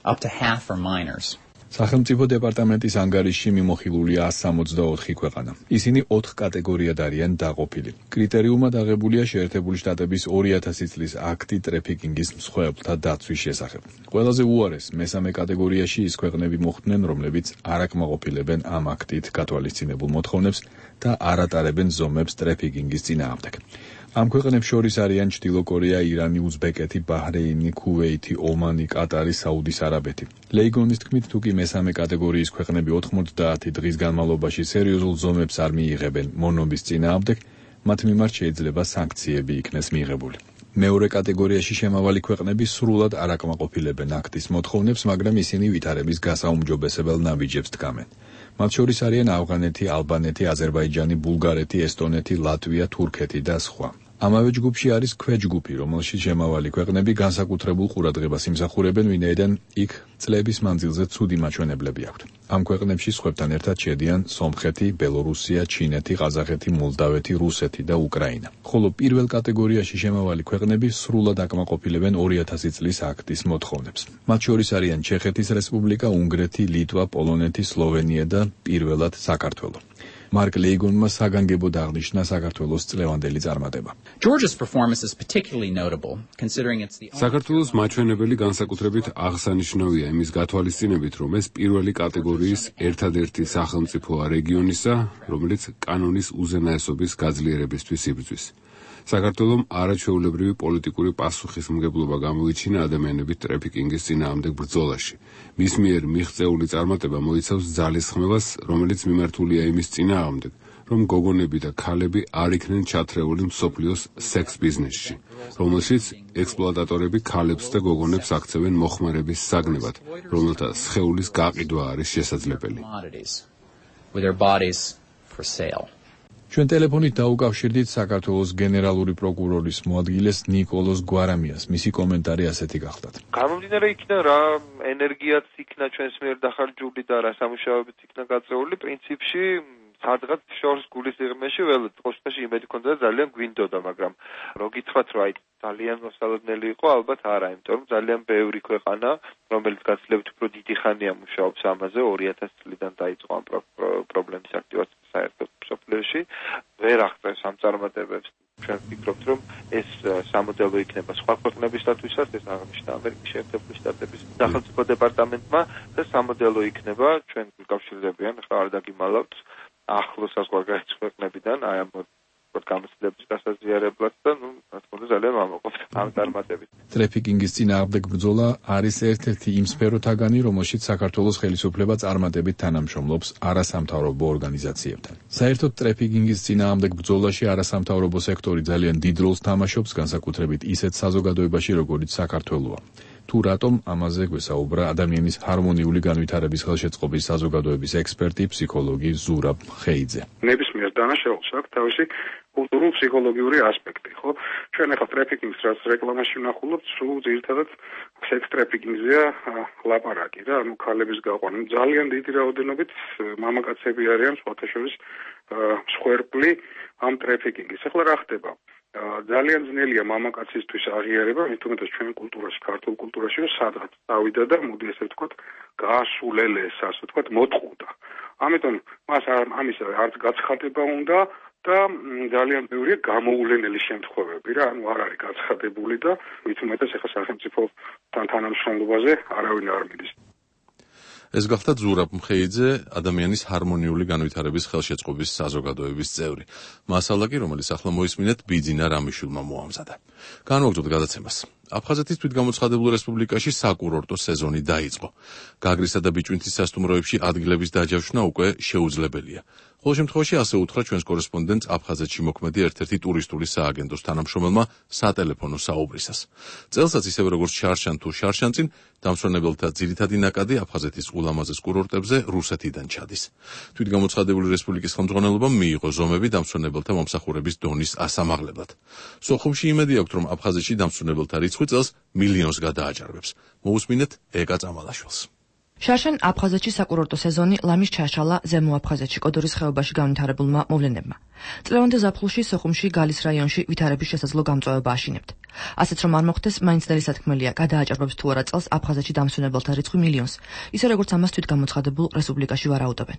Up to half are minors. სახელმწიფო დეპარტამენტის ანგარიშში მიმოხილულია εκατს სამოცდაოთხი ქვეყანა. ისინი ოთხ კატეგორიად არიან დაყოფილი. კრიტერიუმად აღებულია შეერთებული შტატების ორი ათასი წლის აქტი ტრეფიკინგის მსხვერპლთა დაცვის შესახებ. ყველაზე უარეს მესამე კატეგორიაში ის ქვეყნები მოხვდნენ, რომლებიც არ აკმაყოფილებენ ამ აქტით გათვალისწინებულ მოთხოვნებს და არ ატარებენ ზომებს ტრეფიკინგის წინააღმდეგ. ამ ქვეყნებს შორის არიან ჩრდილო კორეა, ირანი, უზბეკეთი, ბაჰრეინი, ქუვეითი, ომანი, კატარი, საუდის არაბეთი. ლეიგონის თქმით, თუ კი მესამე კატეგორიის ქვეყნები ოცდაათი დღის განმავლობაში სერიოზულ ზომებს არ მიიღებენ მონობის წინააღმდეგ, მათ მიმართ შეიძლება სანქციები იქნეს მიღებული. მეორე კატეგორიაში შემავალი ქვეყნები სრულად არ აკმაყოფილებენ აქტის მოთხოვნებს, მაგრამ ისინი ვითარების გასაუმჯობესებელ ნაბიჯებს დგამენ. მათ შორის არიან ავღანეთი, ალბანეთი, აზერბაიჯანი, ბულგარეთი, ესტონეთი, ლატვია, თურქეთი და სხვა. ამავე ჯგუფში არის ქვეჯგუფი, რომელშიც შემავალი ქვეყნები განსაკუთრებულ ყურადღებას იმსახურებენ, ვინაიდან იქ წლების მანძილზე ცუდი მაჩვენებლები აქვთ. ამ ქვეყნებში სხვებთან ერთად შედიან სომხეთი, ბელორუსია, ჩინეთი, ყაზახეთი, მოლდავეთი, რუსეთი და უკრაინა. ხოლო პირველ კატეგორიაში შემავალი ქვეყნები სრულად აკმაყოფილებენ ორი ათასი წლის აქტის მოთხოვნებს. მათ შორის არიან ჩეხეთის რესპუბლიკა, უნგრეთი, ლიტვა, პოლონეთი, სლოვენია და პირველად საქართველო. მარკ ლეიგონმა საგანგებოდ აღნიშნა საქართველოს წლევანდელი წარმატება. Georgia's performance is particularly notable considering it's the საქართველოს მაჩვენებელი განსაკუთრებით აღსანიშნავია იმის გათვალისწინებით, რომ ეს პირველი კატეგორიის ერთადერთი სახელმწიფოა რეგიონისა, რომელიც კანონის უზენაესობის გაძლიერებისთვის იბრძვის. საქართველომ არაჩვეულებრივი პოლიტიკური პასუხისმგებლობა გამოიჩინა ადამიანების ტრაფიკინგის წინააღმდეგ ბრძოლაში. მის მიერ მიღწეული წარმატება მოიცავს ძალისხმევას, რომელიც მიმართულია იმის წინააღმდეგ, რომ გოგონები და ქალები არ იქნენ ჩათრეული მსოფლიოს სექს ბიზნესში, რომელშიც ექსპლუატატორები ქალებს და გოგონებს აქცევენ მოხმარების საგნებად, რომელთა სხეულის გაყიდვა არის შესაძლებელი. ჩვენ ტელეფონით დაუკავშირდით საქართველოს გენერალური პროკურორის მოადგილეს ნიკოლოზ გვარამიას. მისი კომენტარი ასეთი გახლდათ. გამომდინარე იქნა რა ენერგიაც იქნა ჩვენს მიერ დახარჯული და რა სამუშაოებიც იქნა გაწეული, პრინციპში სადღაც შორს გულის სიღრმეში ველოდ ყოველთვის იმედი ქონდა და ძალიან გვინდოდა, მაგრამ რო გითხრათ რომ აი ძალიან მოსალოდნელი იყო, ალბათ არა, იმიტომ რომ ძალიან ბევრი ქვეყანა, რომელიც გაცილებით უფრო დიდი ხანია მუშაობს ამაზე, ორი ათასი წლიდან დაიწყო ამ პრობლემის აქტივაცია საერთოდ მსოფლიოში, ვერ აღწევს ამ წარმატებებს. ჩვენ ვფიქრობთ, რომ ეს სამოდელო იქნება სხვა ქვეყნებისთვისაც, ეს აღნიშნა ამერიკის შეერთებული შტატების სახელმწიფო დეპარტამენტმა და სამოდელო იქნება ჩვენ გულკავშირდებიან, ხა არ დაგიმალავთ ახლოს საზღვარგარეთ ქვეყნებიდან აი ამ გამოცდილების გასაზიარებლად და ნუ რა თქმა უნდა ძალიან ვამაყობთ ამ წარმატებით. ტრაფიკინგის წინააღმდეგ ბრძოლა არის ერთ-ერთი იმ სფეროთაგანი, რომელშიც საქართველოს ხელისუფლება წარმატებით თანამშრომლობს არასამთავრობო ორგანიზაციებთან. საერთოდ ტრაფიკინგის წინააღმდეგ ბრძოლაში არასამთავრობო სექტორი ძალიან დიდ როლს თამაშობს, განსაკუთრებით ისეთ საზოგადოებაში, როგორიც საქართველოა. თუ რატომ ამაზე გვესაუბრა ადამიანის ჰარმონიული განვითარების ხელშეწყობის საზოგადოების ექსპერტი, ფსიქოლოგი ზურაბ ხეიძე. ნებისმიერ დანაშაულს აქვს თავისი კულტურულ-ფსიქოლოგიური ასპექტი, ხო? ჩვენ ახლა ტრაფიკინგს რაც რეკლამაში ვნახულობთ, სულ ძირითადად სექს ტრაფიკინგზეა ლაპარაკი რა, ანუ ქალების გაყვანა. ძალიან დიდი რაოდენობით მამაკაცები არიან სხვათა შორის მსხვერპლი ამ ტრაფიკინგის. ახლა რა ხდება? ძალიან ძნელია მამაკაცისთვის აღიარება, მით უმეტეს ჩვენ კულტურაში, ქართულ კულტურაში, რომ სადღაც დავიდა და მოდი ესე ვთქვათ, გაასულელეს, ასე ვთქვათ, მოტყუდა. ამიტომ მას ამის არც გაცხადება უნდა და ძალიან ბევრია გამოულენელი შემთხვევები რა, ანუ არ არის გაცხადებული და მით უმეტეს ახლა სახელმწიფოთან თანამშრომლობაზე არავინ არ მიდის. ეს გახდა ზურაბ ხეიძე, ადამიანის ჰარმონიული განვითარების ხელშეწყობის საზოგადოების წევრი. მასალა კი, რომელიც ახლა მოისმინეთ, ბიძინა რამიშვილმა მოამზადა. განვაგრძოთ გადაცემას. აფხაზეთის თვითგამოცხადებულ რესპუბლიკაში საკურორტო სეზონი დაიწყო. გაგრისა და ბიჭვინთის სასტუმროებში ადგილების დაჯავშნა უკვე შეუძლებელია. ყოველ შემთხვევაში ასე უთხრა ჩვენს კორესპონდენტს აფხაზეთში მოქმედი ერთ-ერთი ტურისტული სააგენტოს თანამშრომელმა სატელეფონო საუბრისას. წელსაც ისევე როგორც შარშან თუ შარშანწინ, დამსვენებელთა ძირითადი ნაკადი აფხაზეთის ულამაზეს კურორტებზე რუსეთიდან ჩადის. თვითგამოცხადებული რესპუბლიკის ხელმძღვანელობამ მიიღო ზომები დამსვენებელთა მომსახურების დონის ასამაღლებლად. სოხუმში იმედი აქვთ, რომ აფხაზეთში დამსვენებელთა რიცხვი წელს მილიონს გადააჭარბებს. მოусმინეთ ეკა წამალაშვილს. შარშან აფხაზეთში საკურორტო სეზონი ლამის ჩაშალა ზემო აფხაზეთში კოდორის ხეობაში განვითარებულმა მოვლენებმა. წლევანდელ ზაფხულში სოხუმში გალის რაიონში ვითარების შესაძლო გამწვავება აშინებთ. ასეც რომ არ მოხდეს, მაინც ნელი სათქმელია, გადააჭარბებს თუ არა წელს აფხაზეთში დამსვენებელთა რიცხვი მილიონს, ისე როგორც ამას თვითგამოცხადებულ რესპუბლიკაში ვარაუდობენ.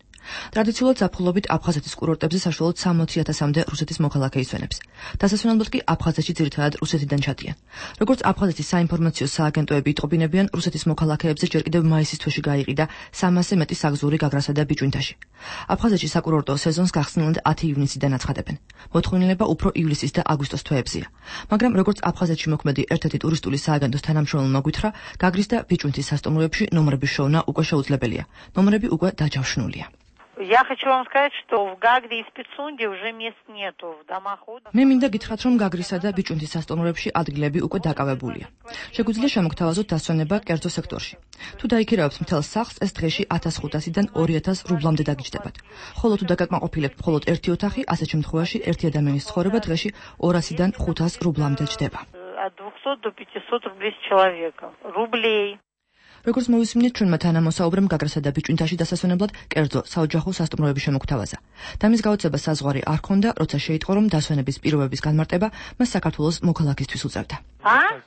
ტრადიციულად ზაფხულობით აფხაზეთის კურორტებზე საშუალოდ სამოცი ათასამდე რუსეთის მოქალაქე ისვენებს. დასასვენებლად კი აფხაზეთში ძირითადად რუსეთიდან ჩადიან. როგორც აფხაზეთის საინფორმაციო სააგენტოები იტყობინებიან, რუსეთის მოქალაქეებზე ჯერ კიდევ მაისის თვეში გაიყიდა სამასზე მეტი საგზური გაგრასა და ბიჭვინთაში. აფხაზეთში საკურორტო სეზონს გახსნილად ათი ივნისიდან აცხადებენ. მოთხოვნილება უფრო ივლისის და აგვისტოს თვეებზია. მაგრამ როგორც აფხაზეთში მოქმედი ერთ-ერთი ტურისტული სააგენტოს თანამშრომელმა გვითხრა, გაგრის და ბიჭვინთის სასტუმროებში ნომრების შოვნა უკვე შეუძლებელია. ნომრები უკვე დაჯავშნულია. Я хочу вам сказать, что в Гагре и Спецунде уже мест нету в домах отдыха. მე მინდა გითხრათ, რომ გაგრისა და ბიჭვინთის სასტუმროებში ადგილები უკვე დაკავებულია. შეგვიძლია შემოგთავაზოთ დასვენება კერძო სექტორში. თუ დაიქირავებთ მთელ სახლს, ეს დღეში ათას ხუთასიდან ორი ათას რუბლამდე დაგიჯდებათ. ხოლო თუ დაგაკმაყოფილებთ მხოლოდ ერთი ოთახი, ასეთ შემთხვევაში ერთი ადამიანის ცხოვრება დღეში ორასიდან ხუთას რუბლამდე ჯდება. От двухсот до пятисот рублей с человека. Рублей. როგორც მოვისმინეთ, ჩვენმა თანამოსაუბრემ გაგრასა და ბიჭვინთაში დასასვენებლად კერძო საოჯახო სასტუმროები შემოგთავაზა. და მის გაოცება საზღვარი არ ჰქონდა, როცა შეიტყო, რომ დასვენების პირობების განმარტება მას საქართველოს მოქალაქისთვის უწევდა. А?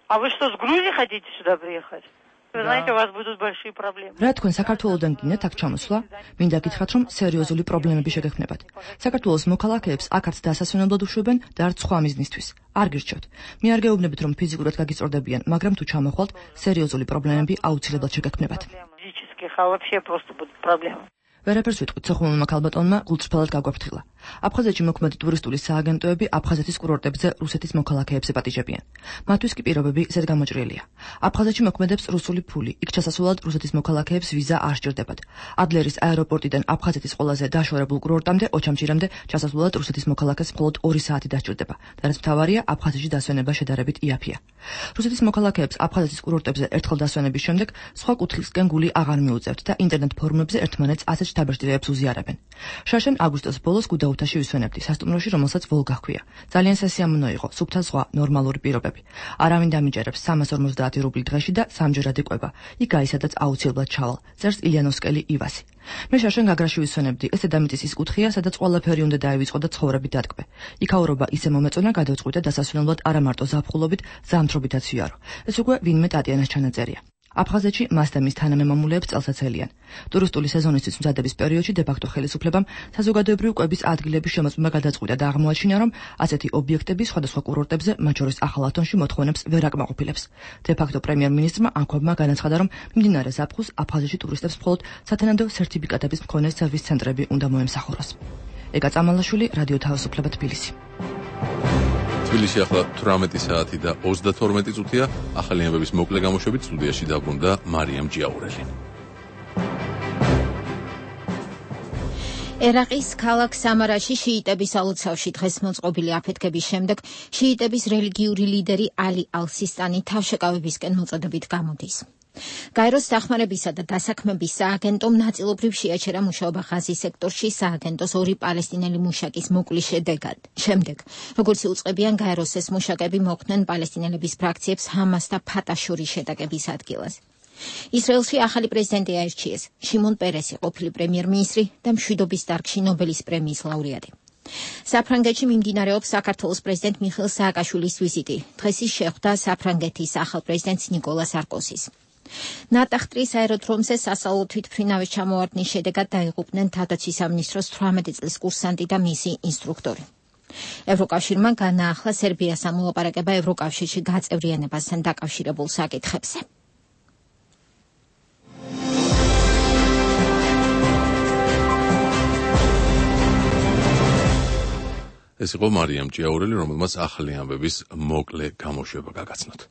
А вы что, с Грузии хотите сюда приехать? Вы знаете, у вас будут большие проблемы. რა თქვენ საქართველოდან გინდათ აქ ჩამოსვლა? მინდა გითხრათ, რომ სერიოზული პრობლემები შეგექმნებათ. საქართველოს მოქალაქეებს აქაც დასასვენებლად უშვებენ და არც სხვა მიზნისთვის. არ გირჩევთ. მე არ გეუბნებით, რომ ფიზიკურად გაგიწორდებიან, მაგრამ თუ ჩამოხვალთ, სერიოზული პრობლემები აუცილებლად შეგექმნებათ. Физических, а вообще просто будут проблемы. ვერაფერს ვიტყვით სოხუმელმა ქალბატონმა გულწრფელად გაგვაფრთხილა. აფხაზეთში მოქმედი ტურისტული სააგენტოები აფხაზეთის კურორტებზე რუსეთის მოქალაქეებს ეპატიჟებიან. მათთვის კი პირობები ზედ გამოჭრილია. აფხაზეთში მოქმედებს რუსული ფული. იქ ჩასასვლელად რუსეთის მოქალაქეებს ვიზა არ სჭირდებათ. ადლერის აეროპორტიდან აფხაზეთის ყველაზე დაშორებულ კურორტამდე ოჩამჭირამდე ჩასასვლელად რუსეთის მოქალაქეს მხოლოდ ორი საათი დასჭირდება. და რაც მთავარია, აფხაზეთში დასვენება შედარებით იაფია. რუსეთის მოქალაქეებს აფხაზეთის კურორტებზე ერთხელ დასვენების შემდეგ სხვა კუთხისკენ გული აღარ მიუწევთ და ინტერნეტ ფორუმებზე ერთმანეთს ასეთ დაბეჭდილებებს უზიარებენ. შაშენ აგვისტოს ბოლოს გუდაუთაში ვისვენებდი სასტუმროში, რომელსაც ვოლგა ჰქვია. ძალიან სასიამოვნო იყო, სუფთა ზღვა, ნორმალური პირობები. არავინ დამიჯერებს სამას ორმოცდაათი რუბლი დღეში და სამჯერად იყვება. იქ გაისადაც აუცილებლად ჩავალ. წერს ილიანოვსკელი ივასი. მე შაშენ გაგრაში ვისვენებდი, ეს დედამიწის ის კუთხეა, სადაც ყველაფერი უნდა დაივიწყო და ცხოვრები დატკბე. იქაურობა ისე მომეწონა, გადავწყვიტე დასასვენებლად არა მარტო ზაფხულობით, ზამთრობითაც ვიარო. ეს უკვე ვინმე ტატიანას ჩანაწერია. აფხაზეთში მას და მის თანამემამულეებს წელსაც ელიან. ტურისტული სეზონისთვის მზადების პერიოდში დე-ფაქტო ხელისუფლებამ საზოგადოებრივი კვების ადგილების შემოწმება გადაწყვიტა და აღმოაჩინა, რომ ასეთი ობიექტები სხვადასხვა კურორტებზე, მათ შორის ახალ ათონში მოთხოვნებს ვერ აკმაყოფილებს. დე-ფაქტო პრემიერ-მინისტრმა ანქობმა განაცხადა, რომ მიმდინარე ზაფხულს აფხაზეთში ტურისტებს მხოლოდ სათანადო სერტიფიკატების მქონე სერვის ცენტრები უნდა მოემსახუროს. ეკა წამალაშვილი, რადიო თავისუფლება თბილისი. თბილისში ახლა თვრამეტი საათი და ოცდათორმეტი წუთია. ახალიანების მოკლე გამოშვებით სტუდიაში დაბრუნდა მარიამ ჯიაურელი. ერაყის ქალაქ სამარაში შიიტების ალოცავში დღეს მოწყობილი აფეთქების შემდეგ შიიტების რელიგიური ლიდერი ალი ალ-სისტანი თავშეკავებისკენ მოწოდებით გამოდის. გაეროს დახმარებისა და დასაქმების სააგენტომ ნაწილობრივ შეაჩერა მუშაობა ღაზის სექტორში სააგენტოს ორი პალესტინელი მუშაკის მოკვლის შედეგად. შემდეგ, როგორც იუწყებიან გაეროს ეს მუშაკები მოხვდნენ პალესტინელების ფრაქციებს ჰამას და ფატას შორის შეტაკების ადგილას. ისრაელში ახალი პრეზიდენტი აირჩიეს. შიმონ პერესი ყოფილი პრემიერ-მინისტრი და მშვიდობის დარგში ნობელის პრემიის ლაურეატი. საფრანგეთში მიმდინარეობს საქართველოს პრეზიდენტ მიხეილ სააკაშვილის ვიზიტი. დღეს ის შეხვდა საფრანგეთის ახალ პრეზიდენტს ნიკოლა სარკოზის. ნატახტრის აეროდრომზე სასწავლო თვითმფრინავის ჩამოვარდნის შედეგად დაიღუპნენ თავდაცვის სამინისტროს თვრამეტი წლის კურსანტი და მისი ინსტრუქტორი. ევროკავშირმა განაახლა სერბიას ამოლაპარაკება ევროკავშირში გაწევრიანებასთან დაკავშირებულ საკითხებზე. ეს იყო მარიამ ჯიაურელი, რომელმაც ახალი ამბების მოკლე გამოშვება გაგაცნოთ.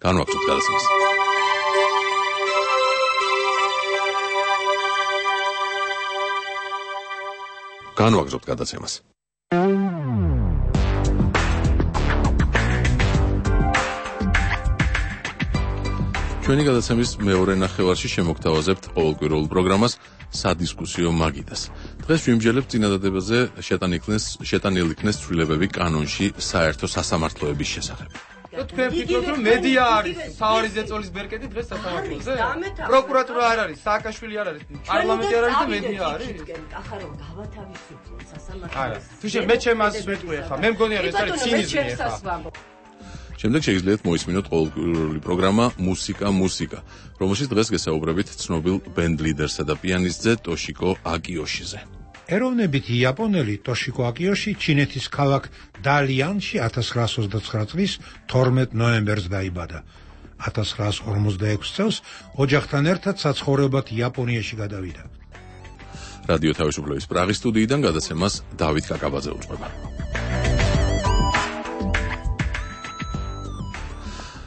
განვაგრძოთ გადაცემას. განვაგრძოთ გადაცემას. ჩვენი გადაცემის მეორე ნახევარში შემოგთავაზებთ ყოველკვირეულ პროგრამას სადისკუსიო მაგიდას. დღეს ვიმსჯელებთ წინადადებაზე შეტანილი იქნეს ცვლილებები კანონში საერთო სასამართლოების შესახებ. თქვენ ფიქრობთ, რომ მედია არის საავარის ზეწოლის ბერკეტი დღეს სასამართლოზე? პროკურატურა არ არის, სააკაშვილი არ არის, პარლამენტი არ არის და მედია არის? ახლა გავათავისუფლოთ სასამართლოს. არა, თუ შე მე ჩემ ასს ვეტყვი ახლა, მე მგონია რომ ეს არის ცინიზმი ახლა. შემდეგ შეგიძლიათ მოისმინოთ ყოველკვირეული პროგრამა მუსიკა მუსიკა, რომელშიც დღეს გესაუბრებით ცნობილ ბენდ ლიდერსა და პიანისტზე ტოშიკო აკიოშიზე. ეროვნებით იაპონელი ტოშიკო აკიოში ჩინეთის ქალაქ დალიანში ათას ცხრაასოცდაცხრა წლის თორმეტ ნოემბერს დაიბადა. ათას ცხრაას ორმოცდაექვსი წელს ოჯახთან ერთად საცხოვრებლად იაპონიაში გადავიდა. რადიო თავისუფლების პრაღის სტუდიიდან გადაცემას დავით კაკაბაძე უძღვება.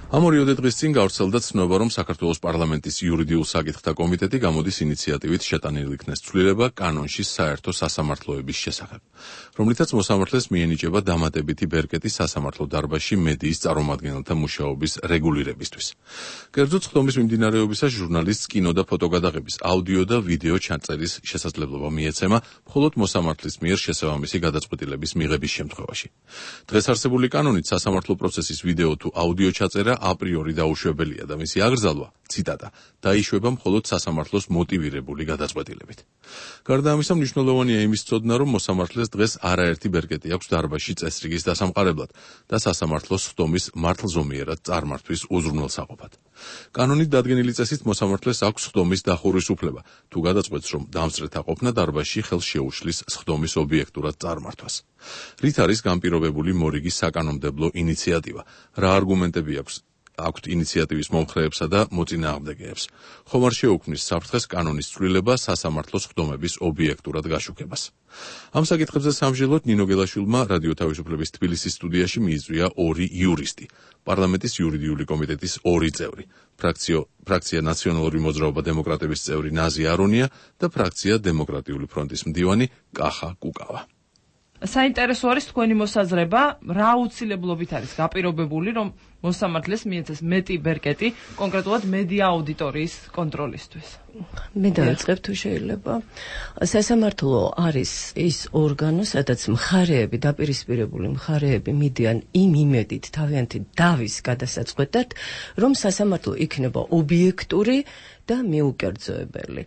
ამ ორიოდე დღის წინ გავრცელდა ცნობა, რომ საქართველოს პარლამენტის იურიდიულ საკითხთა კომიტეტი გამოდის ინიციატივით შეტანილი იქნეს ცვლილება კანონში საერთო სასამართლოების შესახებ, რომლითაც მოსამართლეს მიენიჭება დამატებითი ბერკეტი სასამართლო დარბაზში მედიის წარმომადგენელთა მუშაობის რეგულირებისთვის. კერძოდ ხდომის მიმდინარეობისას ჟურნალისტს კინო და ფოტოგადაღების, აუდიო და ვიდეო ჩაწერის შესაძლებლობა მიეცემა მხოლოდ მოსამართლის მიერ შესაბამისი გადაწყვეტილების მიღების შემთხვევაში. დღეს არსებული კანონით სასამართლო პროცესის ვიდეო თუ აუდიო ჩაწერა აპრიორი დაუშვებელია და მისი აგრძალვა, ციტატა, დაიშვება მხოლოდ სასამართლოს მოტივირებული გადაწყვეტილებით. გარდა ამისა, მნიშვნელოვანია იმის ცოდნა, რომ მოსამართლეს დღეს არაერთი ბერკეტი აქვს დარბაზში წესრიგის დასამყარებლად და სასამართლოს ხდომის მართლზომიერად წარმართვის უზრუნველსაყოფად. კანონით დადგენილი წესით მოსამართლეს აქვს ხდომის დახურვის უფლება, თუ გადაწყვეტს, რომ დამსწრეთა ყოფნა დარბაზში ხელს შეუშლის ხდომის ობიექტურად წარმართვას. რით არის განპირობებული მორიგი საკანონმდებლო ინიციატივა? რა არგუმენტები აქვს აქვთ ინიციატივის მომხრეებსა და მოწინააღმდეგეებს? ხომ არ შეუქმნის საფრთხეს კანონის ცვლილება სასამართლოს ხდომების ობიექტურად გაშუქებას? ამ საკითხებზე სამჟელოდ ნინო გელაშვილმა რადიო თავისუფლების თბილისის სტუდიაში მიიწვია ორი იურისტი, პარლამენტის იურიდიული კომიტეტის ორი წევრი, ფრაქციო ფრაქცია ნაციონალური მოძრაობა დემოკრატების წევრი ნაზი არონია და ფრაქცია დემოკრატიული ფრონტის მდივანი კახა კუკავა. საინტერესო არის თქვენი მოსაზრება, რა აუცილებლობით არის გაპირობებული, რომ მოსამართლეს მიეცეს მეტი ბერკეტი კონკრეტულად მედია აუდიტორიის კონტროლისთვის. მე დავიწყებ თუ შეიძლება. სასამართლო არის ის ორგანო, სადაც მხარეები, დაპირისპირებული მხარეები მიდიან იმ იმედით თავიანთი დავის გადასაწყვეტად, რომ სასამართლო იქნება ობიექტური და მიუკერძოებელი.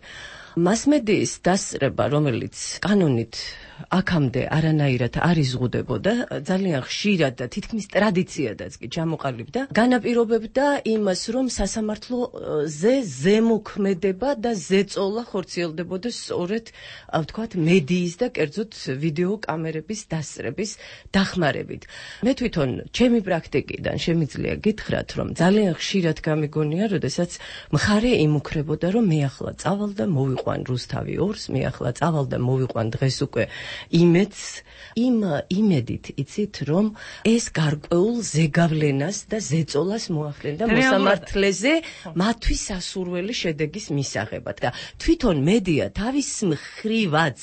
მასმედიის დასწრება, რომელიც კანონით აქამდე არანაირად არ იზღუდებოდა, ძალიან ხშირად და თითქმის ტრადიციადაც კი ჩამოყალიბდა, განაპირობებდა იმას, რომ სასამართლოზე ზემოქმედება და ზეწოლა ხორციელდებოდა სწორედ, ვთქვათ, მედიის და კერძოდ ვიდეო კამერების დასწრების დახმარებით. მე თვითონ ჩემი პრაქტიკიდან შემიძლია გითხრათ, რომ ძალიან ხშირად გამიგონია, როდესაც მხარე იმუქრებოდა, რომ მე ახლა წავალ და მოვიყვან რუსთავი ორს, მე ახლა წავალ და მოვიყვან დღეს უკვე იმედს, იმ იმედით იცით, რომ ეს გარკვეულ ზეგავლენას და ზეწოლას მოახდენდა მოსამართლეზე მათთვის სასურველი შედეგის მისაღებად. და თვითონ მედია თავის მხრივაც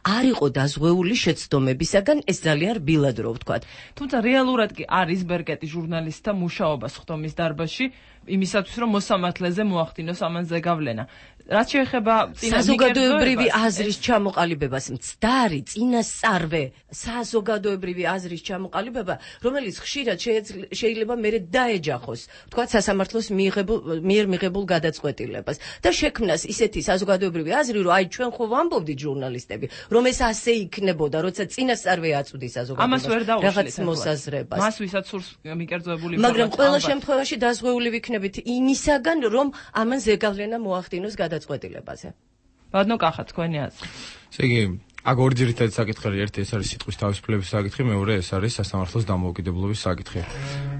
არ იყო დაზღვეული შეცდომებისაგან, ეს ძალიან რბილად რო ვთქვათ. თუმცა რეალურად კი არის ბერკეტი ჟურნალისტთა მუშაობას ხდომის დარბაზში, იმისათვის რომ მოსამართლეზე მოახდინოს ამან ზეგავლენა. რაც შეეხება საზოგადოებრივი აზრის ჩამოყალიბებას, მცდარი წინასწარვე საზოგადოებრივი აზრის ჩამოყალიბება, რომელიც ხშირად შეიძლება მერე დაეჯახოს, თქვათ სასამართლოს მიერ მიღებულ გადაწყვეტილებას და შექმნას ისეთი საზოგადოებრივი აზრი, რომ აი ჩვენ ხო ვამბობდით ჟურნალისტები, რომ ეს ასე იქნებოდა, როცა წინასწარვე აწვდის საზოგადოებას რაღაც მოსაზრებას. მას ვისაც სურს მიკერძოებული ინფორმაცია. მაგრამ ყველა შემთხვევაში დაზღვეული ვიქნებით იმისაგან, რომ ამან ზეგავლენა მოახდინოს გადაწყვეტილებაზე. ბატონო კახა, თქვენი აზრი. ესე იგი, აქ ორი ძირითადი საკითხი, ერთი ეს არის სიტყვის თავისუფლების საკითხი, მეორე ეს არის სასამართლოს დამოუკიდებლობის საკითხი.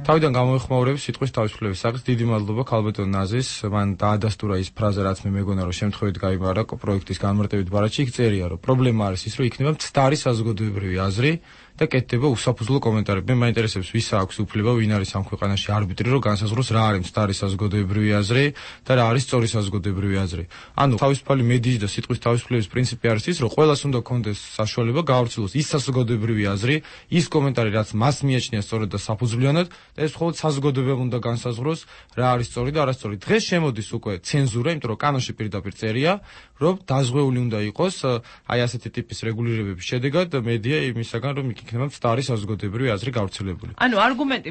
თავიდან გამოეხმაურებს სიტყვის თავისუფლების საკითხს. დიდი მადლობა ქალბატონ ნაზის, მან დაადასტურა ის ფრაზა, რაც მე მეგონა, რომ შემთხვევით გაიმარა პროექტის განმარტებით ბარათში, იქ წერია, რომ პრობლემა არის ის, რომ იქნება მცდარი საზოგადოებრივი აზრი და კეთდება უსაფუძვლო კომენტარები. მე მაინტერესებს, ვის აქვს უფლება, ვინ არის ამ ქვეყანაში არბიტრი, რომ განსაზღვროს რა არის მცდარი საზოგადოებრივი აზრი და რა არის სწორი საზოგადოებრივი აზრი. ანუ თავისუფალი მედიის და სიტყვის თავისუფლების პრინციპი არის ის, რომ ყველას უნდა კონდეს საშუალება გაავრცელოს ის საზოგადოებრივი აზრი, ის კომენტარი, რაც მას მიაჩნია სწორად და საფუძვლიანად და ეს მხოლოდ საზოგადოებამ უნდა განსაზღვროს რა არის სწორი და არასწორი. დღეს შემოდის უკვე ცენზურა, იმიტომ რომ კანონში პირდაპირ წერია, რომ დაზღვეული უნდა იყოს აი ასეთი ტიპის რეგულირებების შედეგად მედია იმისაგან, რომ იქნება მცდარი საზოგადოებრივი აზრი გავრცელებული. ანუ არგუმენტი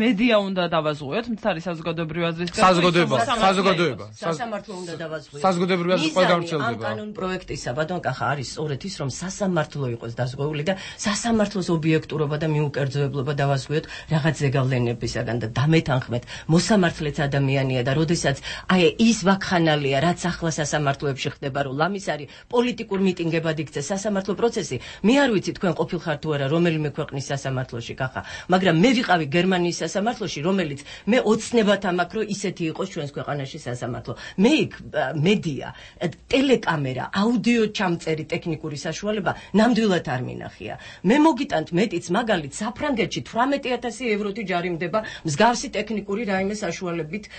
მედია უნდა დავაზღვიოთ მცდარი საზოგადოებრივი აზრისგან. საზოგადოება, საზოგადოება. სასამართლო უნდა დავაზღვიოთ. საზოგადოებრივი აზრი ყველა გავრცელდება. ამ კანონ პროექტისა ბატონ კახა არის სწორედ ის, რომ სასამართლო იყოს დაზღვეული და სასამართლოს ობიექტურობა და მიუკერძოებლობა დავაზღვიოთ რაღაც ზეგავლენას მოვლენებისაგან და დამეთანხმეთ მოსამართლეც ადამიანია და როდესაც აი ის ვაკხანალია რაც ახლა სასამართლოებში ხდება რომ ლამის არის პოლიტიკურ მიტინგებად იქცეს სასამართლო პროცესი მე არ ვიცი თქვენ ყოფილხართ თუ არა რომელიმე ქვეყნის სასამართლოში კახა მაგრამ მე ვიყავი გერმანიის სასამართლოში რომელიც მე ოცნებად ამაქვს რომ ისეთი იყოს ჩვენს ქვეყანაში სასამართლო მე იქ მედია ტელეკამერა აუდიო ჩამწერი ტექნიკური საშუალება ნამდვილად არ მინახია მე მოგიტანთ მეტიც მაგალით საფრანგეთში თვრამეტი ათასი ევროთი ჯარიმდება მსგავსი ტექნიკური რაიმე საშუალებით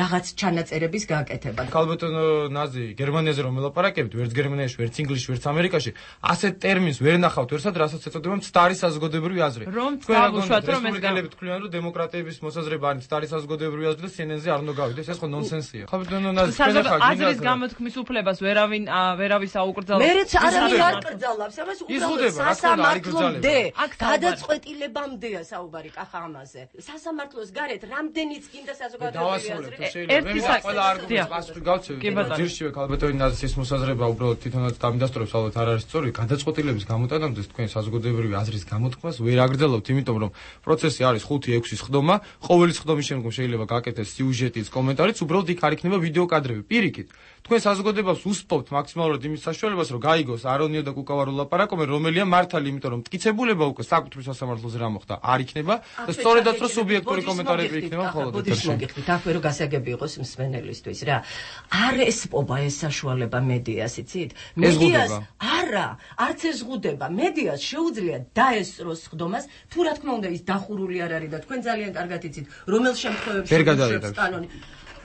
რაღაც ჩანაწერების გაკეთება ქალბატონო ნაზი გერმანიაზე რომ ელაპარაკებთ ვერც გერმანიაში ვერც ინგლისში ვერც ამერიკაში ასეთ ტერმინს ვერ ნახავთ ვერსად რასაც ეწოდება მცდარი საზოგადოებრივი აზრი რომ დავუშვათ რომ ეს გელებით თქვენ რომ დემოკრატიების მოსაზრება არის მცდარი საზოგადოებრივი აზრი და სიენენზე არ უნდა გავიდეს ეს ხო ნონსენსია ქალბატონო ნაზი თქვენ ახლა აზრის გამოთქმის უფლებას ვერავინ ვერავის აუკრძალავს მეც არავინ არ კრძალავს ამას უბრალოდ სასამართლომდე გადაწყვეტილებამდეა საუბარი კახა ამაზე სასამართლოს გარეთ რამდენიც გინდა საზოგადოებრივი აზრი ერთი ყველა არგუმენტს პასუხი გავცევი ჯერშივე ქალბატონი ნაზის ეს მოსაზრება უბრალოდ თვითონაც დამიდასტურებს ალბათ არ არის სწორი გადაწყვეტილების გამოტანამდე თქვენ საზოგადოებრივი აზრის გამოთქმას ვერ აგრძელავთ იმიტომ რომ პროცესი არის ხუთი ექვსი სხდომა ყოველი სხდომის შემდგომ შეიძლება გაკეთდეს სიუჟეტის კომენტარიც უბრალოდ იქ არ იქნება ვიდეო კადრები პირიქით თქვენ საზოგადოებას უსპობთ მაქსიმალურად იმის საშუალებას რომ გაიგოს არონიო და კუკავარო ლაპარაკობენ რომელია მართალი იმიტომ რომ მტკიცებულება უკვე საკუთრივ სასამართლოზე რა მოხდა არ იქნება და სწორედაც რომ სუბიექტური კომენტარები იქნება მხოლოდ ეთერში მოგიხდით ახლა რომ გასაგები იყოს მსმენელისთვის რა არ ესპობა ეს საშუალება მედიას იცით მედიას არა არც ეს ზღუდება მედიას შეუძლია დაესწროს სხდომას თუ რა თქმა უნდა ის დახურული არ არის და თქვენ ძალიან კარგად იცით რომელ შემთხვევებში ვერ კანონი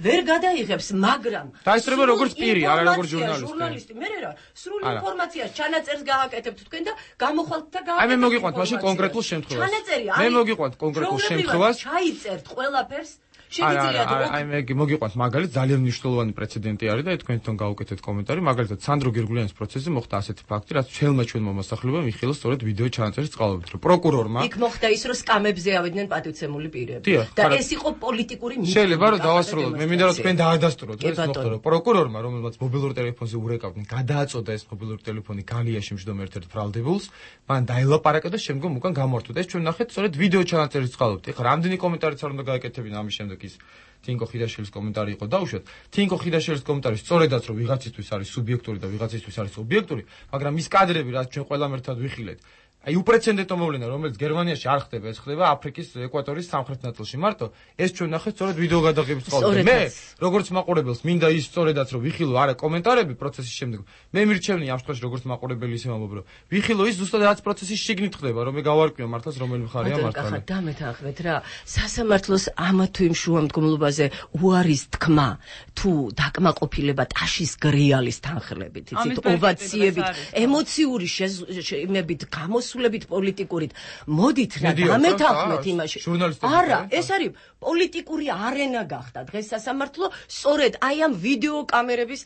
ვერ გადაიღებს მაგრამ დაესწრება როგორც პირი არა როგორც ჟურნალისტი ჟურნალისტი მე რა სრული ინფორმაციას ჩანაწერს გააკეთებთ თქვენ და გამოხვალთ და გააკეთებთ აი მე მოგიყვანთ მაშინ კონკრეტულ შემთხვევას ჩანაწერი მე მოგიყვანთ კონკრეტულ შემთხვევას ჩაიწერთ ყველაფერს აი მე მოგიყვანთ მაგალითად ძალიან მნიშვნელოვანი პრეცედენტი არის და თქვენთან გაუკეთეთ კომენტარი მაგალითად სანდრო გერგულიანის პროცესზე მოხდა ასეთი ფაქტი რაც ჩვენმა ჩვენ მომასახლებამ იხილა სწორედ ვიდეო ჩანაწერის წყალობით რომ პროკურორმა იქ მოხდა ის რომ სკამებზე ავიდნენ პატივცემული პირები და ეს იყო პოლიტიკური მიტინგი შეიძლება რომ დავასრულოთ მე მინდა რომ თქვენ დაადასტუროთ ეს მოხდა რომ პროკურორმა რომელმაც მობილურ ტელეფონზე ურეკავდნენ გადააწოდა ეს მობილური ტელეფონი გალიაში მждომ ერთ-ერთ ბრალდებულს მან დაელაპარაკა და შემდგომ უკან გამორთვა და ეს ჩვენ ნახეთ სწორედ ვიდეო ჩანაწერის წყალობით ეხლა რამდენი კომენტარიც არ უნდა გააკეთებინა ამის შემდეგ ის თინკო ხიდაშვილის კომენტარი იყო დაუშვათ თინკო ხიდაშვილის კომენტარი სწორედაც რომ ვიღაცისთვის არის სუბიექტური და ვიღაცისთვის არის ობიექტური მაგრამ ის კადრები რაც ჩვენ ყველამ ერთად ვიხილეთ აი უპრეცედენტო მოვლენა რომელიც გერმანიაში არ ხდება ეს ხდება აფრიკის ეკვატორის სამხრეთ ნაწილში მარტო ეს ჩვენ ნახეთ სწორედ ვიდეო გადაღების წყალობით მე როგორც მაყურებელს მინდა ის სწორედაც რომ ვიხილო არა კომენტარები პროცესის შემდეგ მე მირჩევნი ამ შემთხვევაში როგორც მაყურებელი ისე ვამბობ რომ ვიხილო ის ზუსტად რაც პროცესის შიგნით ხდება რომ მე გავარკვიო მართლაც რომელი მხარეა მართალი ახლა დამეთანხმეთ რა სასამართლოს ამა თუ იმ შუამდგომლობაზე უარის თქმა თუ დაკმაყოფილება ტაშის გრიალის თანხლებით იცით ოვაციებით ემოციური იმებით გამოს სულებით პოლიტიკურით მოდით რა დამეთანხმეთ იმაში არა ეს არის პოლიტიკური არენა გახდა დღეს სასამართლო სწორედ აი ამ ვიდეო კამერების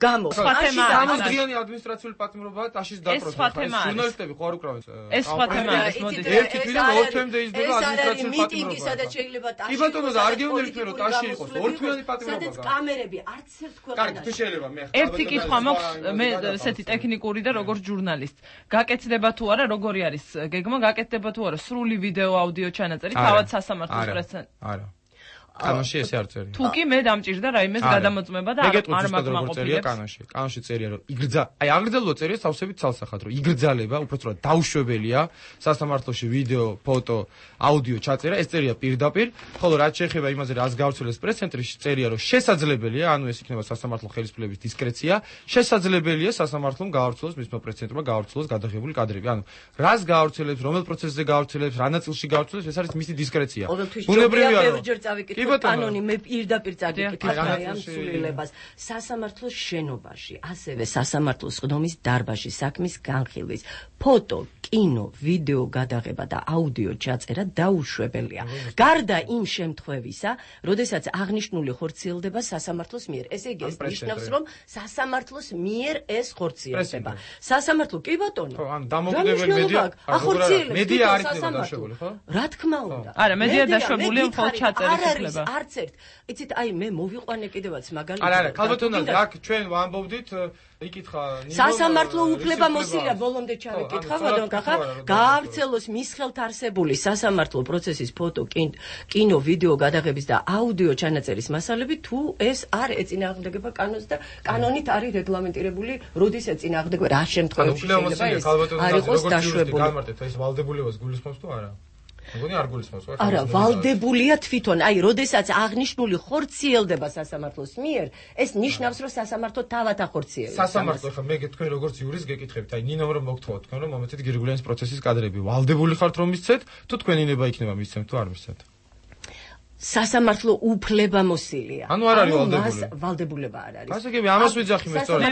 გამო სხვა თემაა გამოდრიანი ადმინისტრაციული პატიმრობაა ტაშის დაპროცესა ჟურნალისტები ხო არ უკრავენ ეს სხვა თემაა ეს მოდით ერთი თვიდან ორ თვემდე იზრდება ადმინისტრაციული პატიმრობა სადაც შეიძლება ტაში კი ბატონო და არ გეუბნებით მე რომ ტაში იყოს ორ თვიანი პატიმრობა სადაც კამერები არც ერთ ქვეყანაში კარგი შეიძლება მე ერთი კითხვა მაქვს მე ესეთი ტექნიკური და როგორც ჟურნალისტ გაკეთდება თუ არა როგორი არის გეგმა გაკეთდება თუ არა სრული ვიდეო აუდიო ჩანაწერი თავად სასამართლოს პრესთან არა კანონში ესე არ წერია. თუ კი მე დამჭირდა რაიმეს გადამოწმება და არ მაგმაყოფილებს. კანონში, კანონში წერია რომ იგრძა, აი აგრძელო წერია სავსებით ცალსახად რომ იგრძალება, უпростоრად დაუშვებელია სასამართლოში ვიდეო, ფოტო, აუდიო ჩაწერა, ეს წერია პირდაპირ, ხოლო რაც შეეხება იმაზე რაც გავრცელებს პრეს-ცენტრში წერია რომ შესაძლებელია, ანუ ეს იქნება სასამართლო ხელისუფლების დისკრეცია, შესაძლებელია სასამართლომ გავრცელოს მისმა პრეს-ცენტრმა გავრცელოს გადაღებული კადრები. ანუ რას გავრცელებს, რომელ პროცესზე გავრცელებს, რა ნაწილში გავრცელებს, ეს არის მისი დისკრეცია. ბუნებრივია რომ კანონი მე პირდაპირ წაგიკითხე ამ სულილებას სასამართლოს შენობაში, ასევე სასამართლოს სხდომის დარბაზში საქმის განხილვის, ფოტო, კინო, ვიდეო გადაღება და აუდიო ჩაწერა დაუშვებელია. გარდა იმ შემთხვევისა, როდესაც აღნიშნული ხორციელდება სასამართლოს მიერ. ესე იგი, ეს ნიშნავს, რომ სასამართლოს მიერ ეს ხორციელდება. სასამართლო კი ბატონო. ხო, ან დამოუკიდებელი მედია, ახორციელებს მედია არ იქნება დაშვებული, ხო? რა თქმა უნდა. არა, მედია დაშვებულია მხოლოდ ჩაწერის უფლება. ითვლება. არც ერთ. იცით, აი მე მოვიყვანე კიდევაც მაგალითად. არა, არა, ქალბატონო, აქ ჩვენ ვამბობდით იკითხა სასამართლო უფლებამოსილია ბოლომდე ჩავიკითხა, ბატონ კახა, გაავრცელოს მის ხელთ არსებული სასამართლო პროცესის ფოტო, კინო, ვიდეო გადაღების და აუდიო ჩანაწერის მასალები თუ ეს არ ეწინააღმდეგება კანონს და კანონით არის რეგლამენტირებული, როდის ეწინააღმდეგება, რა შემთხვევაში შეიძლება ეს არ იყოს დაშვებული. გამარტეთ ეს ვალდებულებას გულისხმობს თუ არა? მგონი არ გულისხმობს, ხო? არა, ვალდებულია თვითონ. აი, როდესაც აღნიშნული ხორციელდება სასამართლოს მიერ, ეს ნიშნავს, რომ სასამართლო თავად ახორციელებს. სასამართლო ხა მე თქვენ როგორც იურის გეკითხებით, აი ნინომ რომ მოგთხოვოთ თქვენ რომ მომეცეთ გირგულიანის პროცესის კადრები. ვალდებული ხართ რომ მისცეთ, თუ თქვენინება იქნება მისცემთ თუ არ მისცემთ? სასამართლო უფლებამოსილია. ანუ არ არის ვალდებული. ვალდებულება არ არის. ასე კი ამას ვიძახი მე სწორად.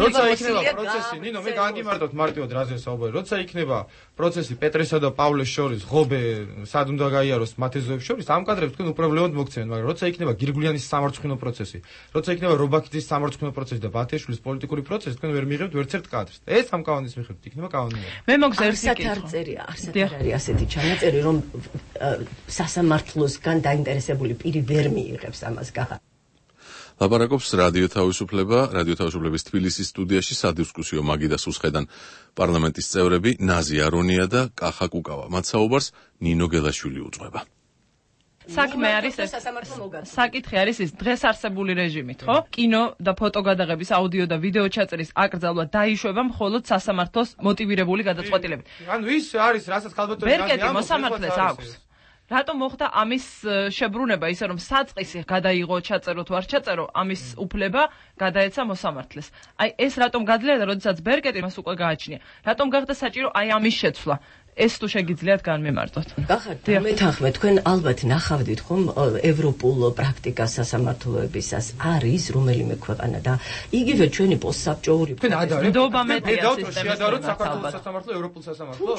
როცა იქნება პროცესი, ნინო მე განგიმარტოთ მარტივად რაზე საუბარი. როცა იქნება პროცესი პეტრესა და პავლეს შორის, ღობე სად უნდა გაიაროს მათეზოებს შორის, ამ კადრებს თქვენ უპრობლემოდ მოგცემთ, მაგრამ როცა იქნება გირგულიანის სამარცხვინო პროცესი, როცა იქნება რობაქიძის სამარცხვინო პროცესი და ბათიაშვილის პოლიტიკური პროცესი, თქვენ ვერ მიიღებთ ვერც ერთ კადრს. ეს ამ კანონის მიხედვით იქნება კანონიერი. მე მოგს ერთი კითხვა. არ წერია, არსად არ არის ასეთი ჩანაწერი, რომ სასამართლოსგან დაინტერესებული პირი ვერ მიიღებს ამას გახა. ლაპარაკობს რადიო თავისუფლება, რადიო თავისუფლების თბილისის სტუდიაში სადისკუსიო მაგიდა სუსხედან პარლამენტის წევრები ნაზი არონია და კახა კუკავა. მათ საუბარს ნინო გელაშვილი უძღვება. საქმე არის ეს. საკითხი არის ის დღეს არსებული რეჟიმით, ხო? კინო და ფოტო გადაღების, აუდიო და ვიდეო ჩაწერის აკრძალვა დაიშვება მხოლოდ სასამართლოს მოტივირებული გადაწყვეტილებით. ანუ ის არის, რასაც ქალბატონი ბერკეტი მოსამართლეს აქვს. რატომ მოხდა ამის შებრუნება, ისე რომ საწყისი გადაიღო, ჩაწერო თუ არ ჩაწერო, ამის უფლება გადაეცა მოსამართლეს. აი ეს რატომ გადლია და როდესაც ბერკეტი მას უკვე გააჩნია. რატომ გახდა საჭირო აი ამის შეცვლა? ეს თუ შეგიძლიათ განმემართოთ. გახართ, მეთანხმე, თქვენ ალბათ ნახავდით ხომ ევროპულ პრაქტიკას სასამართლოებისას არის რომელიმე ქვეყანა და იგივე ჩვენი პოსტსაბჭოური თქვენ ადარებთ ნდობა მეტია სისტემის შეადაროთ საქართველოს სასამართლო, ევროპულ სასამართლო.